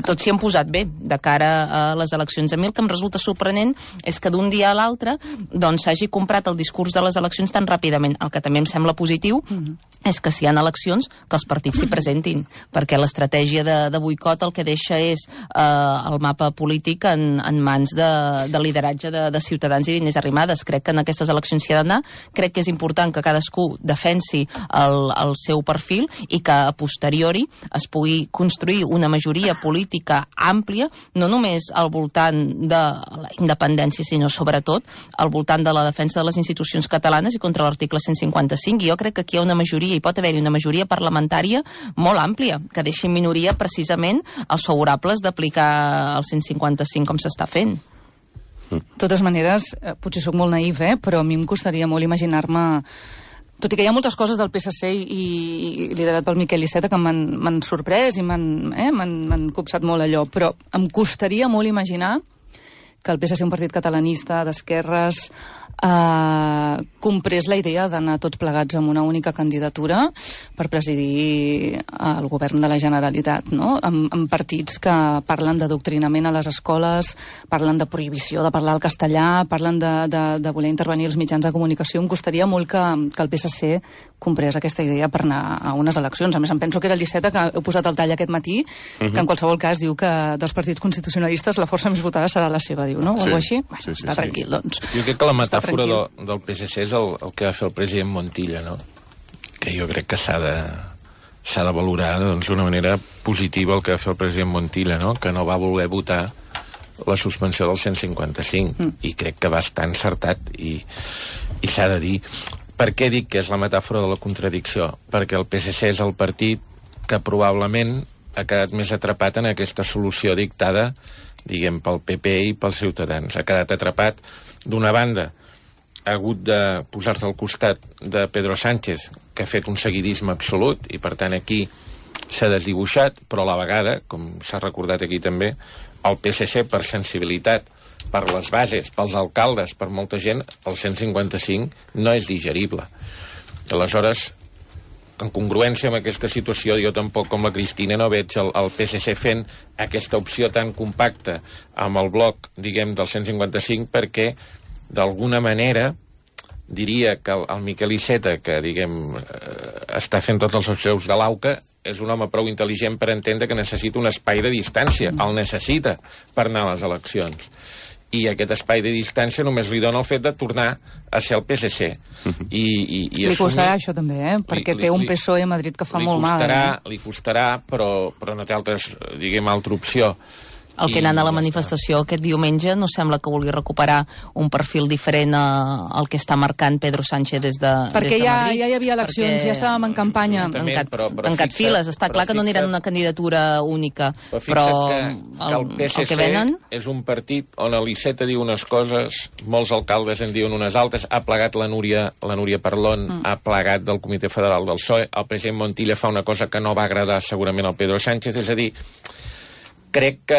Speaker 3: tots s'hi han posat bé de cara a les eleccions. A mi el que em resulta sorprenent és que d'un dia a l'altre doncs s'hagi comprat el discurs de les eleccions tan ràpidament. El que també em sembla positiu és que si hi ha eleccions, que els partits s'hi presentin, perquè l'estratègia de boicot el que deixa és el mapa polític en mans de lideratge de Ciutadans i d'Inés Arrimadas. Crec que en aquestes eleccions s'hi ha d'anar, crec que és important que cadascú defensi el seu perfil i que a posteriori es pugui construir una majoria política àmplia, no només al voltant de la independència, sinó sobretot al voltant de la defensa de les institucions catalanes i contra l'article 155. I jo crec que aquí hi ha una majoria, hi pot haver-hi una majoria parlamentària molt àmplia, que deixi en minoria precisament els favorables d'aplicar el 155 com s'està fent.
Speaker 4: De totes maneres, potser sóc molt naïf, però a mi em costaria molt imaginar-me, tot i que hi ha moltes coses del PSC i liderat pel Miquel Iceta que m'han sorprès i m'han copsat molt allò, però em costaria molt imaginar que el PSC, un partit catalanista d'esquerres, comprés la idea d'anar tots plegats amb una única candidatura per presidir el govern de la Generalitat, no? Amb partits que parlen d'adoctrinament a les escoles, parlen de prohibició de parlar el castellà, parlen de voler intervenir els mitjans de comunicació. Em costaria molt que el PSC comprés aquesta idea per anar a unes eleccions. A més, em penso que era el Iceta, que heu posat el tall aquest matí, que en qualsevol cas diu que dels partits constitucionalistes la força més votada serà la seva, diu, no? O alguna així? Bueno, està tranquil, doncs.
Speaker 7: Jo crec que la metàfora del PSC és el que va fer el president Montilla, no? Que jo crec que s'ha de valorar d'una manera positiva el que va fer el president Montilla, no? Que no va voler votar la suspensió del 155 i crec que va estar encertat i s'ha de dir. Per què dic que és la metàfora de la contradicció? Perquè el PSC és el partit que probablement ha quedat més atrapat en aquesta solució dictada, diguem, pel PP i pels Ciutadans. Ha quedat atrapat, d'una banda, ha hagut de posar-se al costat de Pedro Sánchez, que ha fet un seguidisme absolut, i per tant aquí s'ha desdibuixat, però a la vegada, com s'ha recordat aquí també, el PSC, per sensibilitat, per les bases, pels alcaldes, per molta gent, el 155 no és digerible. Aleshores, en congruència amb aquesta situació, jo tampoc, com la Cristina, no veig el PSC fent aquesta opció tan compacta amb el bloc, diguem, del 155, perquè, d'alguna manera, diria que el Miquel Iceta, que, diguem, està fent tots els seus de l'auca, és un home prou intel·ligent per entendre que necessita un espai de distància. El necessita per anar a les eleccions. I aquest espai de distància només li dona el fet de tornar a ser el PSC.
Speaker 4: Li costarà això també, perquè té un PSOE a Madrid que fa molt mal.
Speaker 7: Li costarà, però no té altra opció.
Speaker 3: El que anant a la manifestació aquest diumenge no sembla que vulgui recuperar un perfil diferent al que està marcant Pedro Sánchez des de Madrid.
Speaker 4: Perquè ja hi havia eleccions, ja estàvem en campanya.
Speaker 3: Tancat files, està clar que no aniran una candidatura única.
Speaker 7: Però que el PSC és un partit on l'Iceta diu unes coses, molts alcaldes en diuen unes altres, ha plegat la Núria Parlon, ha plegat del Comitè Federal del PSOE, el president Montilla fa una cosa que no va agradar segurament al Pedro Sánchez, és a dir, crec que,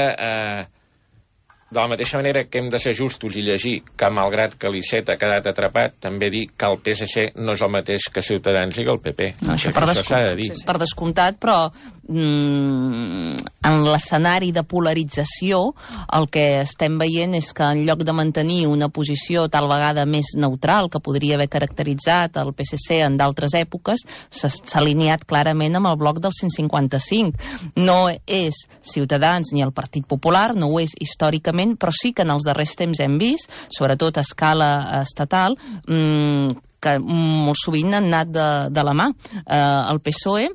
Speaker 7: de la mateixa manera que hem de ser justos i llegir que, malgrat que l'Iceta ha quedat atrapat, també dir que el PSC no és el mateix que Ciutadans i que el PP.
Speaker 3: No, això s'ha de dir. Per descomptat, però en l'escenari de polarització el que estem veient és que en lloc de mantenir una posició tal vegada més neutral que podria haver caracteritzat el PSC en d'altres èpoques, s'ha alineat clarament amb el bloc del 155. No és Ciutadans ni el Partit Popular, no ho és històricament, però sí que en els darrers temps hem vist, sobretot a escala estatal, que molt sovint han anat de la mà. El PSOE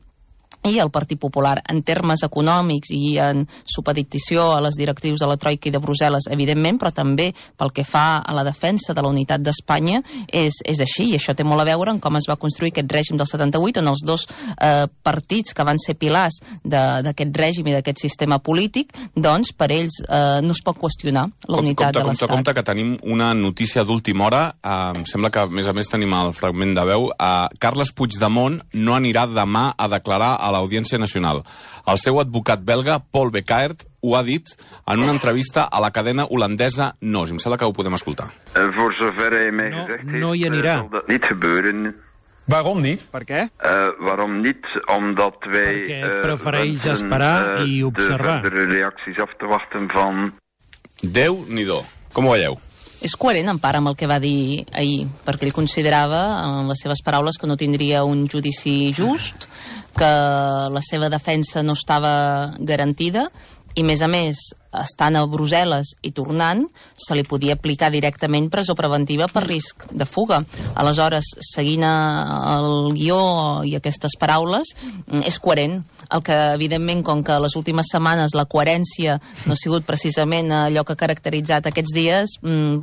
Speaker 3: i el Partit Popular. En termes econòmics i en supeditació a les directrius de la Troika i de Brussel·les, evidentment, però també pel que fa a la defensa de la unitat d'Espanya és així, i això té molt a veure amb com es va construir aquest règim del 78, on els dos partits que van ser pilars d'aquest règim i d'aquest sistema polític, doncs per ells no es pot qüestionar la unitat de l'Estat.
Speaker 2: Compte que tenim una notícia d'última hora, em sembla que a més tenim el fragment de veu. Carles Puigdemont no anirà demà a declarar a l'Audiència Nacional. El seu advocat belga, Paul Becaert, ho ha dit en una entrevista a la cadena holandesa NOS. Em sembla que ho podem escoltar.
Speaker 11: Voor zover hij mij gezegd heeft,
Speaker 12: no hi anirà.
Speaker 11: zal dat niet gebeuren.
Speaker 12: Waarom niet? Per què?
Speaker 11: Waarom niet? Omdat wij
Speaker 12: Perquè prefereix esperar i observar.
Speaker 11: de verdere reacties af te wachten van...
Speaker 2: Déu-n'hi-do. Com ho veieu?
Speaker 3: És coherent en part amb el que va dir ahir, perquè ell considerava, en les seves paraules, que no tindria un judici just, que la seva defensa no estava garantida, i, a més, estant a Brussel·les i tornant, se li podia aplicar directament presó preventiva per risc de fuga. Aleshores, seguint el guió i aquestes paraules, és coherent. El que, evidentment, com que les últimes setmanes la coherència no ha sigut precisament allò que ha caracteritzat aquests dies,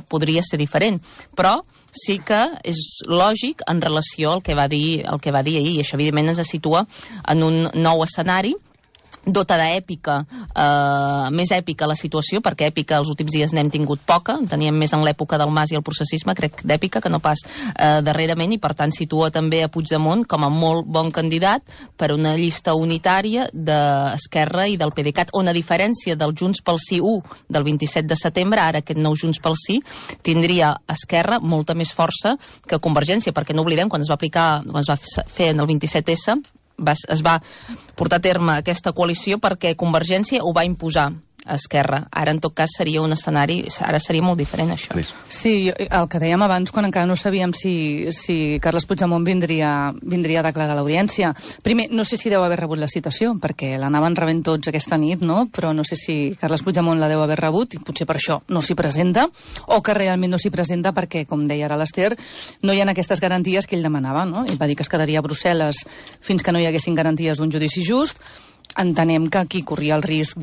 Speaker 3: podria ser diferent. Però sí que és lògic en relació al que va dir ahir, i això, evidentment, ens situa en un nou escenari dota d'èpica, més èpica la situació, perquè èpica els últims dies n'hem tingut poca, en teníem més en l'època del Mas i el processisme, crec, d'èpica, que no pas darrerament, i per tant situa també a Puigdemont com a molt bon candidat per una llista unitària d'Esquerra i del PDeCAT, on a diferència del Junts pel Sí 1 del 27 de setembre, ara aquest nou Junts pel Sí tindria Esquerra molta més força que Convergència, perquè no oblidem, quan es va fer en el 27S, es va portar a terme aquesta coalició perquè Convergència ho va imposar a Esquerra. Ara, en tot cas, seria un escenari... Ara seria molt diferent, això.
Speaker 4: Sí, el que dèiem abans, quan encara no sabíem si Carles Puigdemont vindria a declarar a l'audiència. Primer, no sé si deu haver rebut la citació, perquè l'anaven rebent tots aquesta nit, no? Però no sé si Carles Puigdemont la deu haver rebut, i potser per això no s'hi presenta, o que realment no s'hi presenta perquè, com deia ara l'Ester, no hi ha aquestes garanties que ell demanava, no? Ell va dir que es quedaria a Brussel·les fins que no hi haguessin garanties d'un judici just. Entenem que aquí corria el risc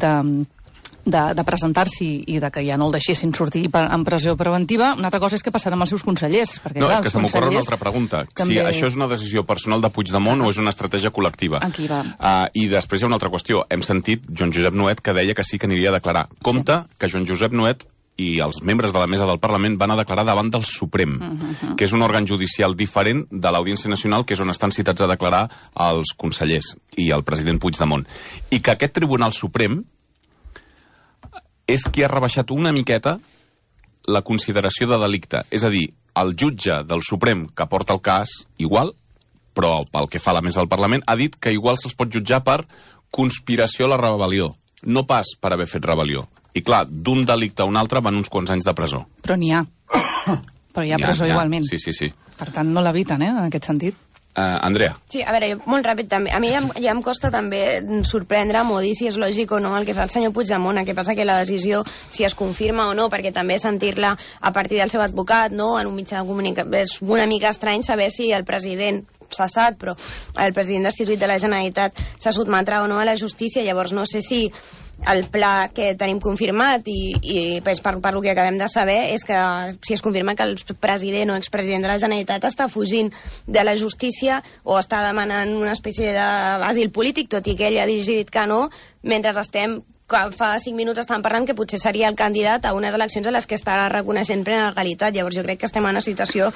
Speaker 4: de presentar-s'hi i de que ja no el deixessin sortir en pressió preventiva. Una altra cosa és què passarà amb els seus consellers. Perquè,
Speaker 2: no,
Speaker 4: clar,
Speaker 2: és que se m'ocorre una altra pregunta.
Speaker 4: També...
Speaker 2: Si això és una decisió personal de Puigdemont o és una estratègia col·lectiva.
Speaker 4: Aquí va.
Speaker 2: I després hi ha una altra qüestió. Hem sentit Joan Josep Nuet que deia que sí que aniria a declarar. Compte que Joan Josep Nuet i els membres de la mesa del Parlament van a declarar davant del Suprem, que és un òrgan judicial diferent de l'Audiència Nacional, que és on estan citats a declarar els consellers i el president Puigdemont. I que aquest Tribunal Suprem és qui ha rebaixat una miqueta la consideració de delicte. És a dir, el jutge del Suprem que porta el cas, igual, però pel que fa a la mesa del Parlament, ha dit que igual se'ls pot jutjar per conspiració a la rebel·lió, no pas per haver fet rebel·lió. I clar, d'un delicte a un altre van uns quants anys de presó.
Speaker 4: Però n'hi ha. Però hi ha presó igualment.
Speaker 2: Sí.
Speaker 4: Per tant, no l'eviten, en aquest sentit.
Speaker 2: Andrea.
Speaker 8: Sí, a veure, molt ràpid també. A mi ja em costa també sorprendre'm o dir si és lògic o no el que fa el senyor Puigdemont. El que passa que la decisió, si es confirma o no, perquè també sentir-la a partir del seu advocat, no?, en un mitjà de comunicació, és una mica estrany saber si el president cessat, però el president destituït de la Generalitat se sotmetrà o no a la justícia. Llavors no sé si el pla que tenim confirmat i per lo que acabem de saber és que si es confirma que el president o expresident de la Generalitat està fugint de la justícia o està demanant una espècie d'asil polític, tot i que ell ha dit que no, mentre fa 5 minuts estàvem parlant que potser seria el candidat a unes eleccions a les que estarà reconeixent plena legalitat. Llavors jo crec que estem en una situació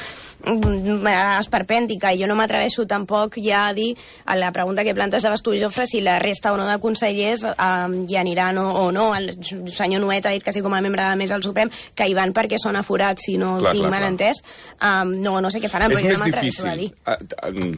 Speaker 8: esperpèntica i jo no m'atreveixo tampoc ja a dir a la pregunta que plantejaves tu, Jofre, si la resta o no de consellers hi aniran o no. El senyor Nuet ha dit que sí, com a membre de la mesa del Suprem, que hi van perquè són aforats, si no tinc mal entès. No sé què faran, però jo no m'atreveixo a dir.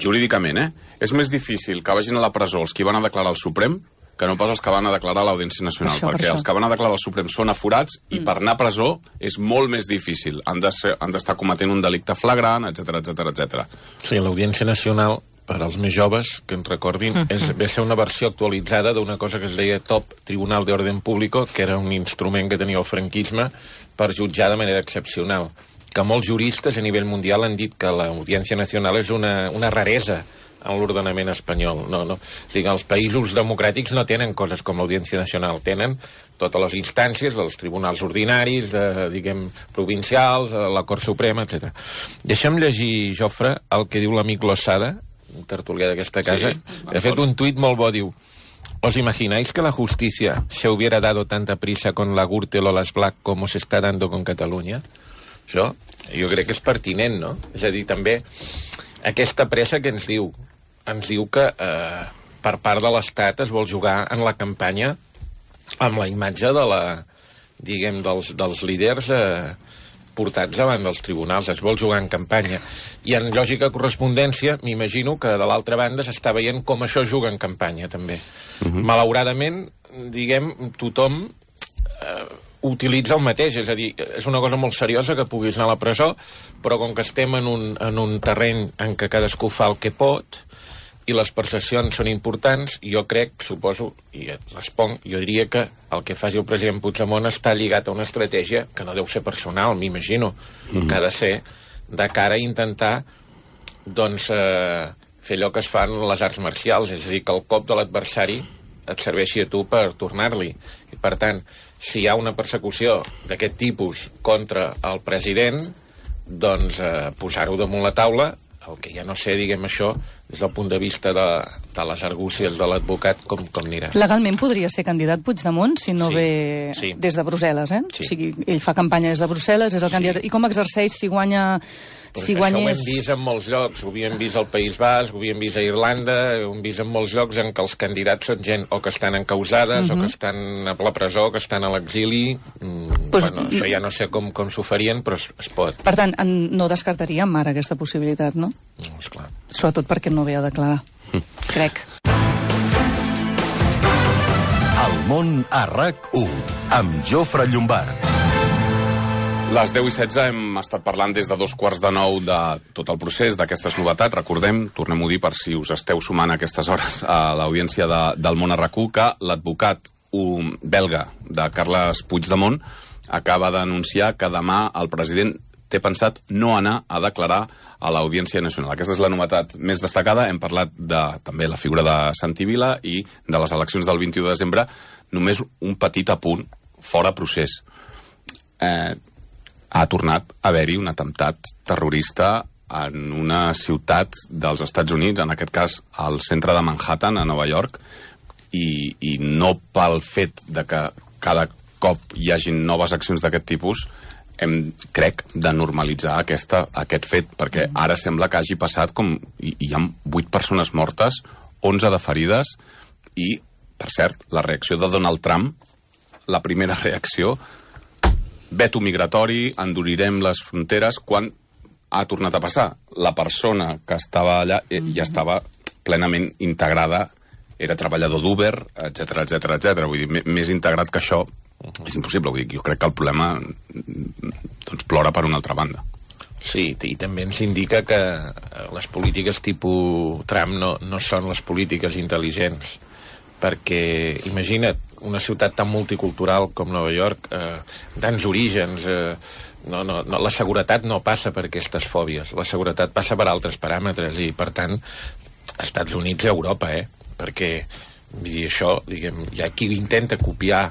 Speaker 2: Jurídicament, és més difícil que vagin a la presó els que van a declarar al Suprem que no pas els que van a declarar a l'Audiència Nacional, perquè els que van a declarar al Suprem són aforats i per anar a presó és molt més difícil. Han d'estar cometent un delicte flagrant, etc.
Speaker 7: Sí, l'Audiència Nacional, per als més joves, que ens recordin, ve ser una versió actualitzada d'una cosa que es deia Top Tribunal de Orden Público, que era un instrument que tenia el franquisme per jutjar de manera excepcional. Que molts juristes a nivell mundial han dit que l'Audiència Nacional és una raresa en l'ordenament espanyol. No. O sigui, els països democràtics no tenen coses com l'Audiència Nacional, tenen totes les instàncies, els tribunals ordinaris, provincials, la Cort Suprema, etc. Deixa'm llegir, Jofre, el que diu l'amic Losada, un tertulià d'aquesta casa. Ha fet un tuit molt bo, diu: ¿Os imagináis que la justicia se hubiera dado tanta prisa con la Gürtel o las Black como se está dando con Catalunya? Això, jo crec que és pertinent, no? És a dir, també aquesta pressa que ens diu que per part de l'Estat es vol jugar en la campanya amb la imatge dels líders portats davant dels tribunals, es vol jugar en campanya. I en lògica correspondència, m'imagino que de l'altra banda s'està veient com això juga en campanya, també. Malauradament, tothom utilitza el mateix, és a dir, és una cosa molt seriosa que puguis anar a la presó, però com que estem en un terreny en què cadascú fa el que pot i les percepcions són importants, jo crec, suposo, i et responc, jo diria que el que faci el president Puigdemont està lligat a una estratègia que no deu ser personal, m'imagino, que ha de ser de cara a intentar fer allò que es fan les arts marcials, és a dir, que el cop de l'adversari et serveixi a tu per tornar-li. I per tant, si hi ha una persecució d'aquest tipus contra el president, doncs posar-ho damunt la taula, el que ja no sé, diguem això, des del punt de vista de les argúcies de l'advocat, com anirà.
Speaker 4: Legalment podria ser candidat Puigdemont si no ve des de Brussel·les, eh?
Speaker 7: Sí.
Speaker 4: O sigui, ell fa campanya des de Brussel·les, és el candidat. I com exerceix si guanya...
Speaker 7: Això ho hem vist en molts llocs, ho havíem vist al País Basc, ho havíem vist a Irlanda, ho hem vist en molts llocs en què els candidats són gent o que estan encausades, o que estan a la presó, o que estan a l'exili. Això ja no sé com s'ho farien, però es pot.
Speaker 4: Per tant, no descartaríem ara aquesta possibilitat, no?
Speaker 7: No, esclar.
Speaker 4: Sobretot perquè no ve a declarar, crec.
Speaker 13: El món a RAC1, amb Jofre Llombard.
Speaker 2: Les 10:16 hem estat parlant des de 8:45 de tot el procés, d'aquestes novetats. Recordem, tornem-ho a dir per si us esteu sumant a aquestes hores a l'audiència del món a RAC1, que l'advocat belga de Carles Puigdemont acaba d'anunciar que demà el president té pensat no anar a declarar a l'Audiència Nacional. Aquesta és la novetat més destacada. Hem parlat de també la figura de Santi Vila i de les eleccions del 21 de desembre. Només un petit apunt, fora procés. Ha tornat a haver-hi un atemptat terrorista en una ciutat dels Estats Units, en aquest cas al centre de Manhattan, a Nova York, i no pel fet de que cada cop hi hagin noves accions d'aquest tipus, crec, de normalitzar aquest fet, perquè ara sembla que hagi passat com... Hi ha 8 persones mortes, 11 de ferides, i, per cert, la reacció de Donald Trump, la primera reacció, veto migratori, endurirem les fronteres, quan ha tornat a passar. La persona que estava allà ja estava plenament integrada, era treballador d'Uber, etc. Vull dir, més integrat que això és impossible. Vull dir, jo crec que el problema plora per una altra banda.
Speaker 7: Sí, i també ens indica que les polítiques tipus Trump no són les polítiques intel·ligents, perquè, imagina't, una ciutat tan multicultural com Nova York, tants orígens, la seguretat no passa per aquestes fòbies, la seguretat passa per altres paràmetres, i per tant, als Estats Units i a Europa, perquè això, diguem, hi ha qui intenta copiar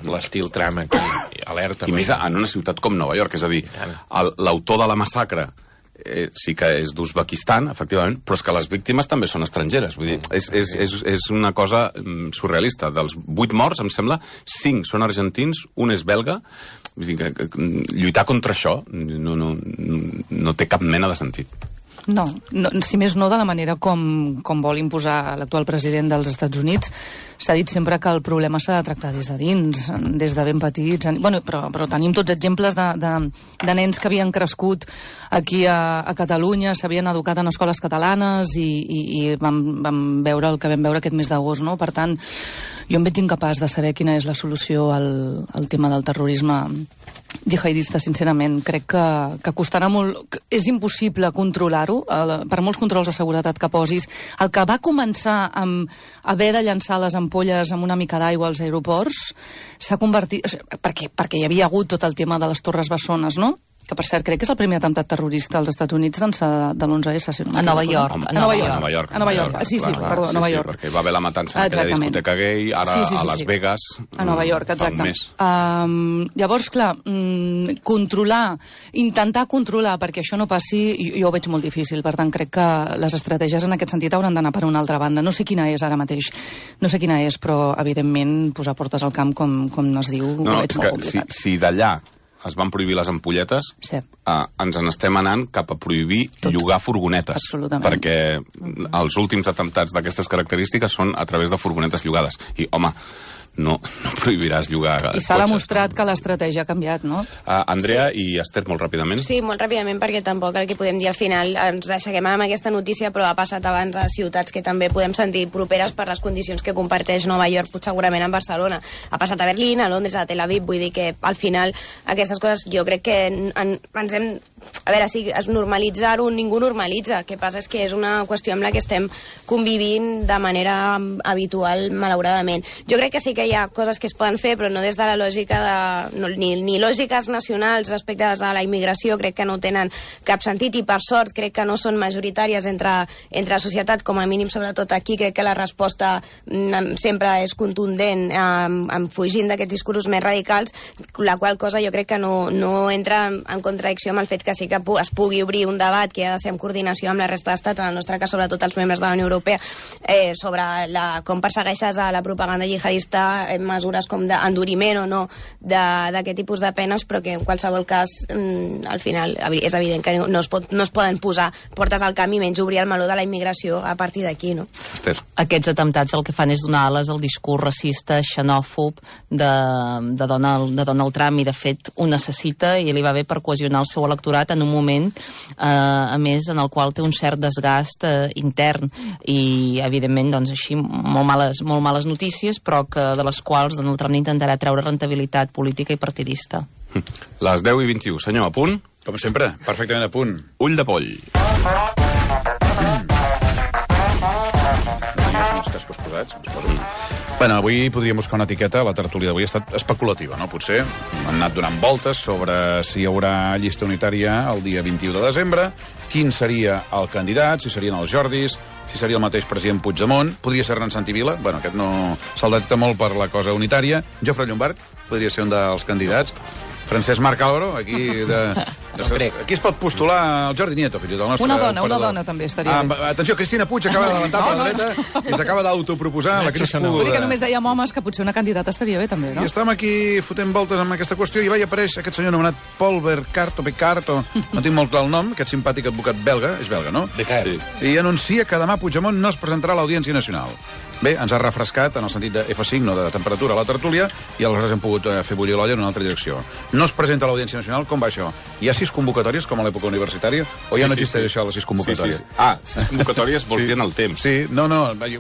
Speaker 7: l'estil Trump aquí, alerta.
Speaker 2: I més en una ciutat com Nova York, és a dir, l'autor de la massacre sí que és d'Uzbekistan, efectivament, però és que les víctimes també són estrangeres. Vull dir, és una cosa surrealista. Dels 8 morts, em sembla, 5 són argentins, un és belga. Vull dir, que lluitar contra això no té cap mena de sentit.
Speaker 4: No, si més no de la manera com vol imposar l'actual president dels Estats Units. S'ha dit sempre que el problema s'ha de tractar des de dins, des de ben petits. Bueno, però tenim tots exemples de nens que havien crescut aquí a Catalunya, s'havien educat en escoles catalanes i vam veure el que vam veure aquest mes d'agost, no? Per tant, jo em veig incapaç de saber quina és la solució al tema del terrorisme jihadista, sincerament. Crec que costarà molt... És impossible controlar-ho, per molts controls de seguretat que posis. El que va començar amb haver de llançar les ampolles amb una mica d'aigua als aeroports s'ha convertit... Perquè hi havia hagut tot el tema de les torres bessones, no? que per cert crec que és el primer atemptat terrorista als Estats Units d'ençà de l'11S, si no
Speaker 3: A Nova York.
Speaker 4: A Nova York. Sí, perdó, a Nova York.
Speaker 2: Perquè va haver la matança en aquella discoteca gay, ara a Las Vegas.
Speaker 4: A Nova York, exacte. Llavors, clar, intentar controlar perquè això no passi, jo ho veig molt difícil, per tant crec que les estratègies en aquest sentit hauran d'anar per una altra banda. No sé quina és ara mateix, però evidentment posar portes al camp, com es diu, ho veig molt complicat.
Speaker 2: Si d'allà es van prohibir les ampolletes, ens n'estem anant cap a prohibir llogar furgonetes.
Speaker 4: Absolutament.
Speaker 2: Perquè els últims atemptats d'aquestes característiques són a través de furgonetes llogades. I, home, no prohibiràs llogar
Speaker 4: cotxes. I s'ha demostrat que l'estratègia ha canviat, no?
Speaker 2: Andrea i Esther, molt ràpidament.
Speaker 8: Sí, molt ràpidament, perquè tampoc el que podem dir al final ens deixem amb aquesta notícia, però ha passat abans a ciutats que també podem sentir properes per les condicions que comparteix Nova York, segurament amb Barcelona. Ha passat a Berlín, a Londres, a Tel Aviv, vull dir que al final aquestes coses jo crec que ens hem... A veure, si es normalitzar-ho, ningú normalitza. El que passa és que és una qüestió amb la que estem convivint de manera habitual, malauradament. Jo crec que sí que hi ha coses que es poden fer, però no des de la lògica de... ni lògiques nacionals respecte a la immigració, crec que no tenen cap sentit, i per sort crec que no són majoritàries entre la societat, com a mínim, sobretot aquí. Crec que la resposta sempre és contundent, fugint d'aquests discursos més radicals, la qual cosa jo crec que no entra en contradicció amb el fet que sí que es pugui obrir un debat que ha de ser en coordinació amb la resta d'estats, en el nostre cas sobretot els membres de la Unió Europea, sobre com persegueixes a la propaganda jihadista, mesures com d'enduriment o no d'aquest tipus de penes, però que en qualsevol cas al final és evident que no es poden posar portes al camp i menys obrir el meló de la immigració a partir d'aquí, no?
Speaker 2: Esther.
Speaker 3: Aquests atemptats el que fan és donar ales al discurs racista, xenòfob de Donald Trump, i de fet ho necessita, i li va bé per cohesionar el seu electorat en un moment, a més, en el qual té un cert desgast intern, i evidentment, doncs així, molt males notícies, però que de les quals Donald Trump intentarà treure rentabilitat política i partidista.
Speaker 2: Les 10:21. Senyor, a punt?
Speaker 5: Com sempre, perfectament a punt.
Speaker 2: Ull de poll.
Speaker 5: Els cascos posats, ens poso. Bueno, avui podríem buscar una etiqueta, la tertúlia d'avui ha estat especulativa, no? Potser han anat donant voltes sobre si hi haurà llista unitària el dia 21 de desembre, quin seria el candidat, si serien els Jordis, si seria el mateix president Puigdemont, podria ser Hernán Santivila, bueno, aquest no se'l detecta molt per la cosa unitària, Jofre Llombart podria ser un dels candidats, Francesc Marc Álvaro, aquí aquí es pot postular el Jordi Nieto, fins i tot el nostre...
Speaker 4: Una dona també estaria bé.
Speaker 5: Atenció, Cristina Puig acaba d'avançar per la dreta i s'acaba d'autoproposar la Cris Puig.
Speaker 4: Vull dir que només dèiem homes, que potser una candidata estaria bé també, no?
Speaker 5: I estem aquí fotent voltes amb aquesta qüestió i va i apareix aquest senyor anomenat Paul Becart, no tinc molt clar el nom, aquest simpàtic advocat belga, és belga, no?
Speaker 7: Becart.
Speaker 5: Sí. I anuncia que demà Puigdemont no es presentarà a l'Audiència Nacional. Bé, ens ha refrescat en el sentit de F5, no de temperatura, a la tertúlia, i aleshores hem pogut fer bullir l'olla en una altra direcció. No es presenta a l'Audiència Nacional, com va això? Hi ha 6 convocatòries, com a l'època universitària, o ja no existeix això, les 6 convocatòries?
Speaker 2: Sí. 6 convocatòries vols dir en el temps.
Speaker 5: Sí, no,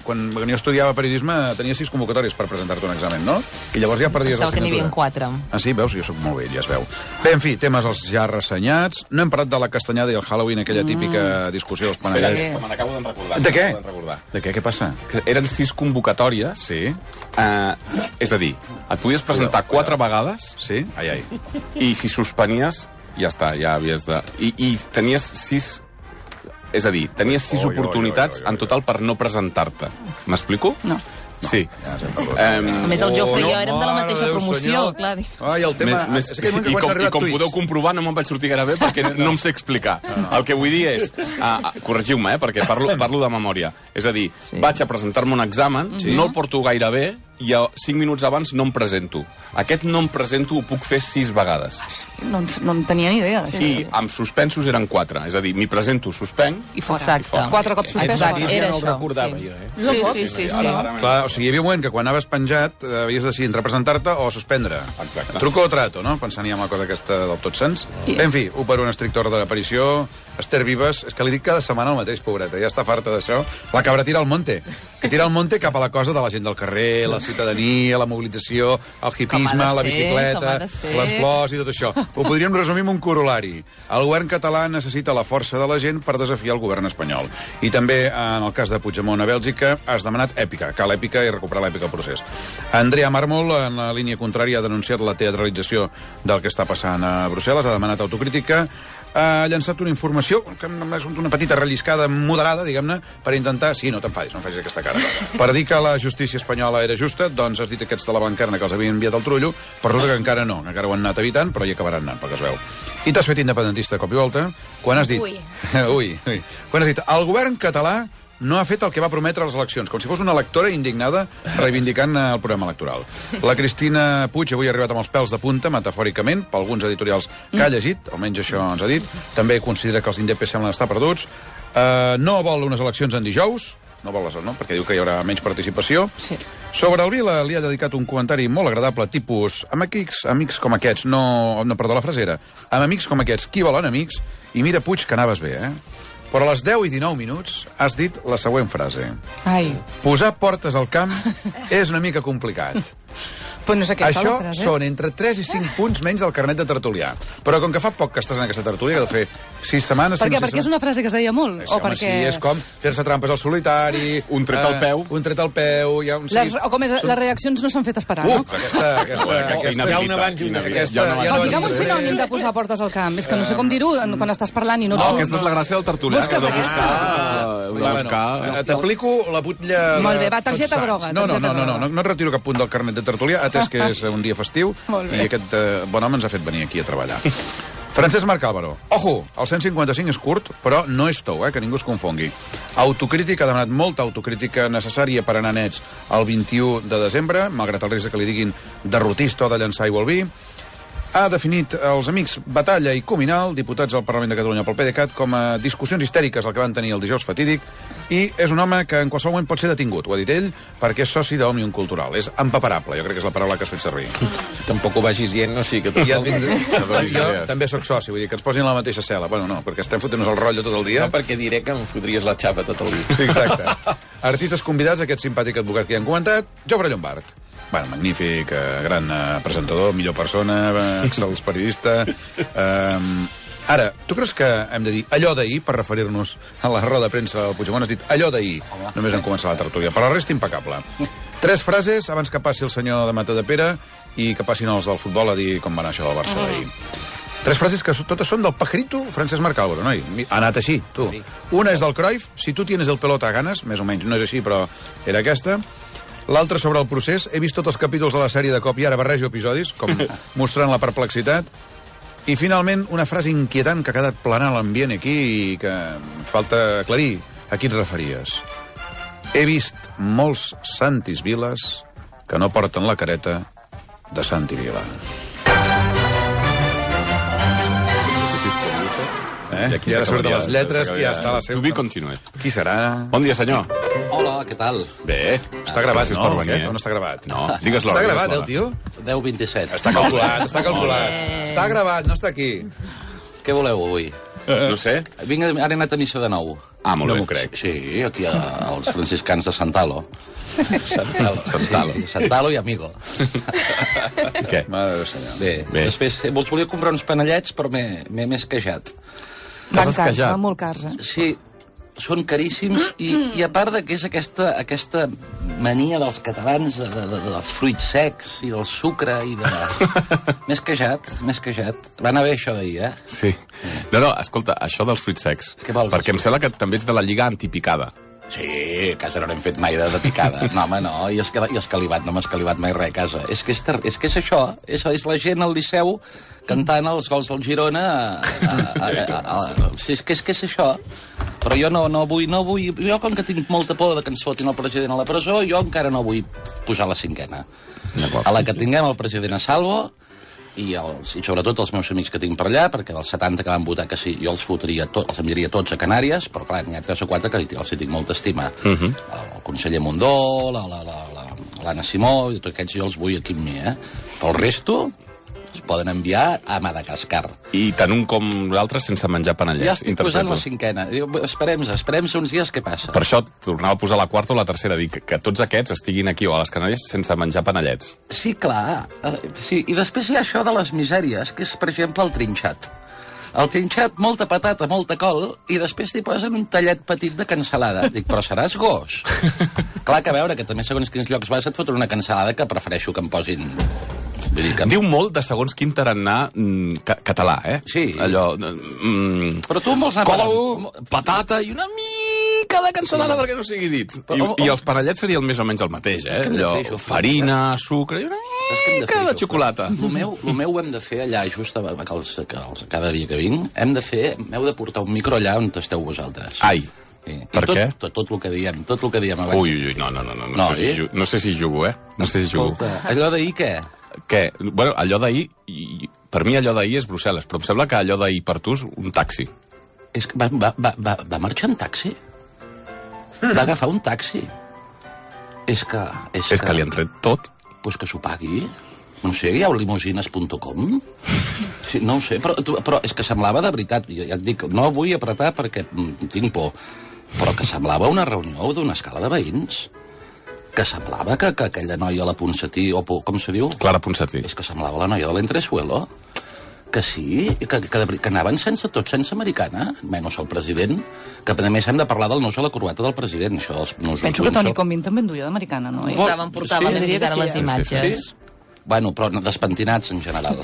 Speaker 5: quan jo estudiava periodisme tenia 6 convocatòries per presentar-te un examen, no? I llavors ja perdies la
Speaker 3: assignatura. Que n'hi havia 4.
Speaker 5: Ah, sí? Veus? Jo sóc molt vell, ja es veu. Bé, en fi, temes els ja ressenyats. No hem parlat de la castanyada i el Halloween, aquella típica discussió dels panellets.
Speaker 2: Me n'acabo d'en recordar.
Speaker 5: De què? De què? Què passa?
Speaker 2: Que eren 6 convocatòries.
Speaker 5: Sí.
Speaker 2: És a dir, et podies presentar 4 vegades.
Speaker 5: Sí? Ai.
Speaker 2: I si suspenies, ja està, ja havies de... I tenies 6... És a dir, tenies 6 oportunitats en total per no presentar-te. M'explico?
Speaker 4: No.
Speaker 2: Sí.
Speaker 3: A més, el Jofre i jo érem de la mateixa promoció, clar.
Speaker 5: Ai, el tema...
Speaker 2: I com podeu comprovar, no me'n vaig sortir gaire bé perquè no em sé explicar. El que vull dir és... Corregiu-me, perquè parlo de memòria. És a dir, vaig a presentar-me un examen, no el porto gaire bé, i 5 minuts abans no em presento. Aquest no em presento ho puc fer 6 vegades.
Speaker 4: No en tenia ni idea.
Speaker 2: I amb suspensos eren 4. És a dir, m'hi presento, suspenc...
Speaker 4: I fora. 4 cops suspens.
Speaker 7: Exacte, ja no ho recordava jo.
Speaker 4: Sí.
Speaker 5: Clar, o sigui, hi havia un moment que quan anaves penjat havies de decidir entre presentar-te o suspendre.
Speaker 2: Exacte.
Speaker 5: Truco o trato, no? Pensant ja en la cosa aquesta del tot sens. En fi, un per un estricte ordre d'aparició. Esther Vives, és que li dic cada setmana el mateix, pobreta, ja està farta d'això. La cabra tira al monte. Que tira al monte cap a la cosa de la gent del carrer, les ciutadania, la mobilització, el hipisme, la bicicleta, les flors i tot això. Ho podríem resumir amb un corolari. El govern català necessita la força de la gent per desafiar el govern espanyol. I també, en el cas de Puigdemont a Bèlgica, has demanat èpica. Cal èpica i recuperar l'èpica al procés. Andrea Mármol, en la línia contrària, ha denunciat la teatralització del que està passant a Brussel·les, ha demanat autocrítica, ha llançat una informació, que és una petita relliscada moderada, diguem-ne, per intentar... Sí, no te'n facis aquesta cara. Per dir que la justícia espanyola era justa, doncs has dit aquests de la bancarna que els havien enviat al trullo, però resulta que encara no, encara ho han anat evitant, però hi acabaran anant, pel que es veu. I t'has fet independentista a cop i volta, quan has dit... Ui. Quan has dit, el govern català no ha fet el que va prometre a les eleccions, com si fos una electora indignada reivindicant el programa electoral. La Cristina Puig avui ha arribat amb els pèls de punta, metafòricament, per alguns editorials que ha llegit, almenys això ens ha dit. També considera que els indepes semblen estar perduts. No vol unes eleccions en dijous, no vol les, no? Perquè diu que hi haurà menys participació. Sí. Sobre el Vila li ha dedicat un comentari molt agradable, tipus, amb amics com aquests, perdó, la frase era, amb amics com aquests, qui volen amics? I mira, Puig, que anaves bé, Però a les 10 i 19 minuts has dit la següent frase.
Speaker 4: Ai.
Speaker 5: Posar portes al camp és una mica complicat.
Speaker 4: Pues no sé què
Speaker 5: això són entre 3 i 5 punts menys del carnet de tertulià. Però com que fa poc que estàs en aquesta tertúlia, que de fer 6 setmanes...
Speaker 4: Per què? Perquè és una frase que es deia molt?
Speaker 5: O perquè... Sí, és com fer-se trampes al solitari...
Speaker 2: Un tret al peu.
Speaker 5: Un tret al peu... Hi ha un...
Speaker 4: O com és, les reaccions no s'han fet esperar, no?
Speaker 5: Aquesta
Speaker 7: hi ha una abans i una després.
Speaker 4: Digue'm un sinònim de posar portes al camp. És que no sé com dir-ho quan estàs parlant i no...
Speaker 2: No, aquesta és la gràcia del tertulià.
Speaker 4: Busques aquesta.
Speaker 5: T'aplico la butlla...
Speaker 4: Molt bé, va, targeta groga.
Speaker 5: No et retiro cap punt del carnet de tertulià, atès que és un dia festiu i aquest bon home ens ha fet venir aquí a treballar. Francesc Marc Álvaro. Ojo, el 155 és curt, però no és tou, que ningú es confongui. Autocrítica, ha demanat molta autocrítica necessària per anar nets el 21 de desembre, malgrat el risc que li diguin derrotista o de llançar aigua al vi. Ha definit els amics Batalla i Cuminal, diputats al Parlament de Catalunya pel PDeCAT, com a discussions histèriques el que van tenir el dijous fatídic, i és un home que en qualsevol moment pot ser detingut, ho ha dit ell, perquè és soci d'Òmnium Cultural. És empaparable, jo crec que és la paraula que has fet servir.
Speaker 7: Tampoc ho vagis dient, no? Sí, que
Speaker 5: jo també sóc soci, vull dir que ens posin a la mateixa cel·la. Bueno, no, perquè estem fotent-nos el rotllo tot el dia.
Speaker 7: No, perquè diré que em fotries la xapa tot el dia.
Speaker 5: Sí, exacte. Artistes convidats, aquest simpàtic advocat que ja han comentat, Jofre Llombart. Bueno, magnífic, gran presentador, millor persona, excel·lent periodista. Ara, tu creus que hem de dir allò d'ahir per referir-nos a la roda de premsa del Puigdemont? Has dit allò d'ahir, només han començat la tertúlia. Per la resta, impecable. 3 frases abans que passi el senyor de Matadepera i que passin els del futbol a dir com va anar això del Barça d'ahir. 3 frases que totes són del pajarito Francesc Marc Álvaro, noi. Ha anat així, tu. Una és del Cruyff, si tu tienes el pelota a ganes, més o menys, no és així, però era aquesta. L'altra sobre el procés, he vist tots els capítols de la sèrie de cop i ara barrejo episodis, com mostrant la perplexitat. I finalment, una frase inquietant que ha quedat planant l'ambient aquí i que falta aclarir a qui et referies. He vist molts Santis Viles que no porten la careta de Santi Vila. I ara surten les lletres i ja està la seva...
Speaker 2: To be continued.
Speaker 5: Qui serà?
Speaker 2: Bon dia, senyor.
Speaker 14: Hola, què tal?
Speaker 2: Bé.
Speaker 5: Està gravat, no? On està gravat?
Speaker 2: No, digues l'hora.
Speaker 5: Està gravat, el tio?
Speaker 14: 10:27.
Speaker 5: Està calculat. Està gravat, no està aquí.
Speaker 14: Què voleu avui?
Speaker 2: No sé.
Speaker 14: Vinc, ara he anat a missa de nou.
Speaker 2: Ah, molt bé.
Speaker 5: No m'ho crec.
Speaker 14: Sí, aquí als franciscans de Santalo. Santalo i Amigo.
Speaker 2: Què?
Speaker 5: Mare de senyor.
Speaker 14: Bé. Després vols volia comprar uns panellets, però m'he esquejat.
Speaker 4: Van cars, van molt cars,
Speaker 14: Sí, són caríssims i a part de que és aquesta mania dels catalans dels fruits secs i del sucre i de... M'he esquejat. Va anar bé això d'ahir,
Speaker 2: Sí. No, escolta, això dels fruits secs.
Speaker 14: Què vols?
Speaker 2: Perquè em sembla que també ets de la lliga antipicada.
Speaker 14: Sí, a casa no n'hem fet mai de picada. No, home, no, i escalivat, no m'ha escalivat mai res a casa. És que és això, és la gent al Liceu cantant els gols del Girona. Sí, és que és això. Però jo no vull... Jo, com que tinc molta por que ens fotin el president a la presó, jo encara no vull posar la 5ª. A la que tinguem el president a salvo, i sobretot els meus amics que tinc per allà, perquè dels 70 que van votar que sí, jo els enviaria tots a Canàries, però clar, n'hi ha 3 o 4 que els hi tinc molta estima. El conseller Mundó, l'Anna Simó, i tots aquests jo els vull aquí amb mi, Pel resto, Es poden enviar a Madagascar.
Speaker 2: I tant un com l'altre sense menjar panellets.
Speaker 14: Ja estic posant la 5a. Esperem uns dies què passa.
Speaker 2: Per això tornava a posar la 4ª o la 3ª, dir que tots aquests estiguin aquí o a les Canàries sense menjar panellets.
Speaker 14: Sí, clar. Sí. I després hi ha això de les misèries, que és, per exemple, el trinxat. El trinxat, molta patata, molta col, i després t'hi posen un tallet petit de cansalada. Dic, però seràs gos? Clar que a veure, que també segons quins llocs vas et foten una cansalada que prefereixo que em posin...
Speaker 2: Diu molt de segons quin tarannà català, eh?
Speaker 14: Sí.
Speaker 2: Allò...
Speaker 14: Però tu vols anar...
Speaker 2: Col, patata i una mica de cansalada perquè no sigui dit. I els panellets serien més o menys el mateix, eh? Allò, farina, sucre i una mica de xocolata.
Speaker 14: El meu ho hem de fer allà, just cada dia que vinc, m'heu de portar un micro allà on esteu vosaltres.
Speaker 2: Ai. Per què?
Speaker 14: Tot el que diem abans.
Speaker 2: Ui, no sé si jugo, eh? No sé si jugo.
Speaker 14: Allò d'ahir què?
Speaker 2: Què? Bueno, allò d'ahir, per mi allò d'ahir és Brussel·les, però em sembla que allò d'ahir per tu és un taxi.
Speaker 14: És que va marxar en taxi? Va agafar un taxi? És que
Speaker 2: li han tret tot.
Speaker 14: Pues que s'ho pagui. No sé, hi ha limosines.com? Sí, no ho sé, però és que semblava de veritat. Ja et dic, no vull apretar perquè tinc por, però que semblava una reunió d'una escala de veïns. Que semblava que aquella noia, la Ponsatí, o com se diu?
Speaker 2: Clara Ponsatí.
Speaker 14: És que semblava la noia de l'Entresuelo. Que sí, que anaven sense americana, menys el president, que a més hem de parlar del nus a la corbata del president. Això dels nusos.
Speaker 4: Penso que Toni Comín també en duia d'americana, no?
Speaker 3: Portava les imatges.
Speaker 14: Sí. Bueno, però despentinats en general.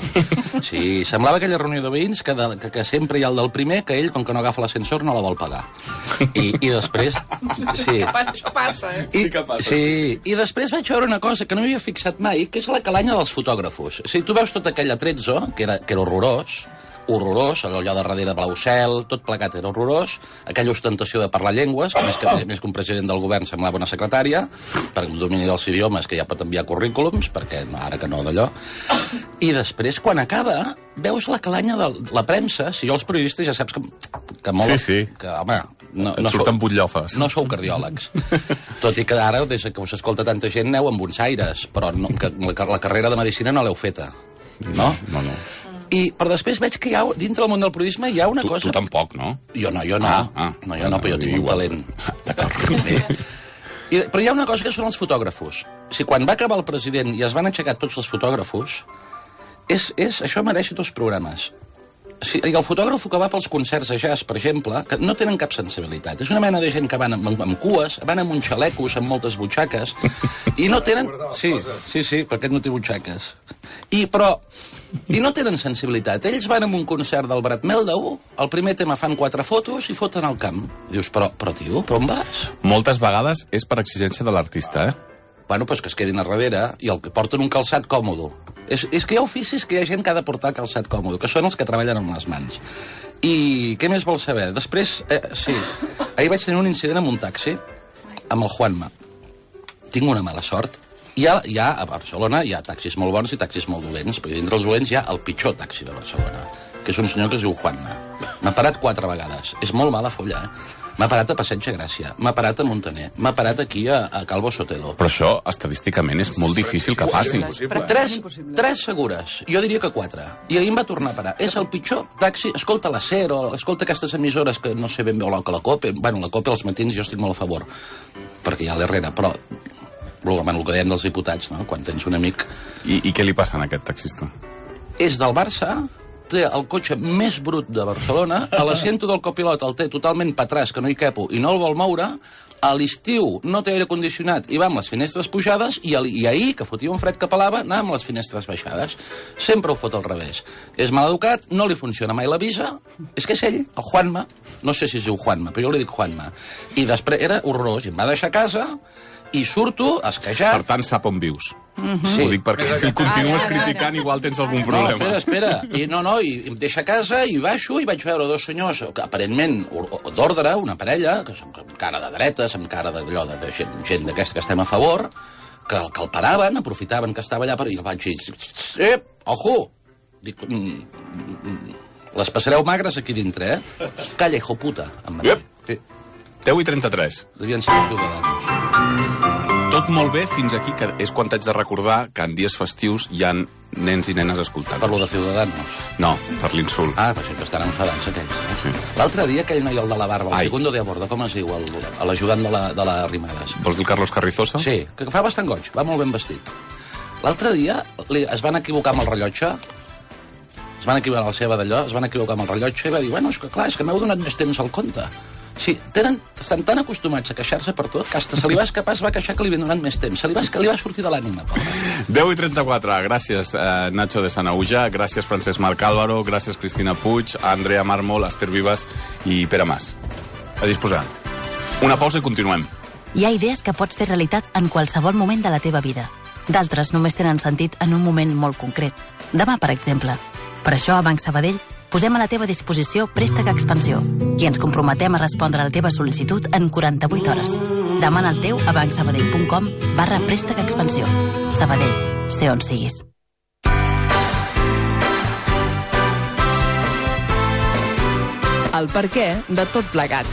Speaker 14: Sí, semblava aquella reunió de veïns que sempre hi ha el del primer, que ell, com que no agafa l'ascensor, no la vol pagar. I després... Sí.
Speaker 4: Això passa, eh?
Speaker 2: Sí que passa.
Speaker 14: Sí, i després vaig veure una cosa que no m'havia fixat mai, que és la calanya dels fotògrafos. Si tu veus tot aquell atrezzo, que era horrorós, allò de darrere blau cel, tot plegat era horrorós, aquella ostentació de parlar llengües, que més que un president del govern semblava una secretària, per un domini dels idiomes que ja pot enviar currículums, perquè ara que no d'allò, i després, quan acaba, veus la calanya de la premsa, si jo els periodistes ja saps que molt...
Speaker 2: Sí.
Speaker 14: Que, home,
Speaker 2: no surten butllofes.
Speaker 14: No sou cardiòlegs. Tot i que ara, des que us escolta tanta gent, aneu amb uns aires, però que la carrera de medicina no l'heu feta, no?
Speaker 2: No.
Speaker 14: Però després veig que dintre del món del periodisme hi ha una cosa...
Speaker 2: Tu tampoc, no?
Speaker 14: Jo no. Però jo tinc un talent.
Speaker 2: D'acord.
Speaker 14: Però hi ha una cosa que són els fotògrafos. Si quan va acabar el president i es van aixecar tots els fotògrafos, això mereix 2 programes. El fotògraf que va pels concerts de jazz, per exemple, que no tenen cap sensibilitat. És una mena de gent que van amb cues, van amb uns xalecos, amb moltes butxaques, i no tenen... Sí, perquè no té butxaques. I no tenen sensibilitat. Ells van amb un concert del Brad Meldau, el primer tema fan 4 fotos i foten al camp. Dius, però tio, però on vas?
Speaker 2: Moltes vegades és per exigència de l'artista, eh?
Speaker 14: Bueno, doncs que es quedin a darrere i porten un calçat còmodo. És que hi ha oficis que hi ha gent que ha de portar calçat còmodo, que són els que treballen amb les mans. I què més vols saber? Després, sí, ahir vaig tenir un incident amb un taxi, amb el Juanma. Tinc una mala sort. A Barcelona hi ha taxis molt bons i taxis molt dolents, perquè dintre els dolents hi ha el pitjor taxi de Barcelona, que és un senyor que es diu Juanma. M'ha parat 4 vegades. És molt mala folla, eh? M'ha parat a Passeig de Gràcia, m'ha parat a Montaner, m'ha parat aquí a Calvo Sotelo.
Speaker 2: Però això, estadísticament, és molt difícil que passi.
Speaker 14: 3 segures, jo diria que 4. I ahir em va tornar a parar. És el pitjor taxi, escolta la SER, o escolta aquestes emissores que no sé ben bé, o la COPE. Bueno, la COPE als matins jo estic molt a favor, perquè hi ha l'Herrera, però el que dèiem dels diputats, no? Quan tens un amic...
Speaker 2: I què li passa a aquest taxista?
Speaker 14: És del Barça, té el cotxe més brut de Barcelona, a l'assento del copilot el té totalment patràs, que no hi quepo, i no el vol moure, a l'estiu no té aire condicionat i va amb les finestres pujades, i ahir, que fotia un fred que pelava, anava amb les finestres baixades. Sempre ho fot al revés. És mal educat, no li funciona mai la visa, és que és ell, el Juanma, no sé si es diu Juanma, però jo li dic Juanma. I després era horrorós, i em va deixar a casa, i surto esquejat.
Speaker 2: Per tant, sap on vius. Sí. Ho dic perquè si continues criticant igual tens algun problema.
Speaker 14: No, espera. I em deixa a casa i baixo i vaig veure 2 senyors, que aparentment d'ordre, una parella, que són amb cara de dretes, amb cara d'allò de gent d'aquesta que estem a favor, que el paraven, aprofitaven que estava allà i vaig dir, ojo! Dic, les passareu magres aquí dintre, eh? Calla, hijo puta, em va dir.
Speaker 2: 10:33.
Speaker 14: Devien ser els ciutadans.
Speaker 2: Tot molt bé fins aquí, que és quan t'haig de recordar que en dies festius hi ha nens i nenes escoltant.
Speaker 14: Per lo de Ciudadanos?
Speaker 2: No, per l'insult.
Speaker 14: Ah, però sempre estan enfadats aquells. Sí. L'altre dia aquell noi, el de la barba, el segundo de a bordo, com es diu, l'ajudant de la Arrimadas?
Speaker 2: Vols dir el Carlos Carrizosa?
Speaker 14: Sí, que fa bastant goig, va molt ben vestit. L'altre dia es van equivocar amb el rellotge, es van equivocar amb la seva d'allò, es van equivocar amb el rellotge i va dir, bueno, és que clar, és que m'heu donat més temps al compte. Sí, estan tan acostumats a queixar-se per tot que hasta se li va escapar, es va queixar que li havien donat més temps. Li va sortir de l'ànima, pobre.
Speaker 2: 10:34, gràcies Nacho de Sanauja, gràcies Francesc Marc Álvaro, gràcies Cristina Puig, Andrea Mármol, Esther Vives i Pere Mas. A disposar. Una pausa i continuem.
Speaker 1: Hi ha idees que pots fer realitat en qualsevol moment de la teva vida. D'altres només tenen sentit en un moment molt concret. Demà, per exemple. Per això a Banc Sabadell posem a la teva disposició Préstec Expansió i ens comprometem a respondre a la teva sol·licitud en 48 hores. Demana el teu a bancsabadell.com/préstec expansió. Sabadell, sé on siguis.
Speaker 6: El perquè de tot plegat.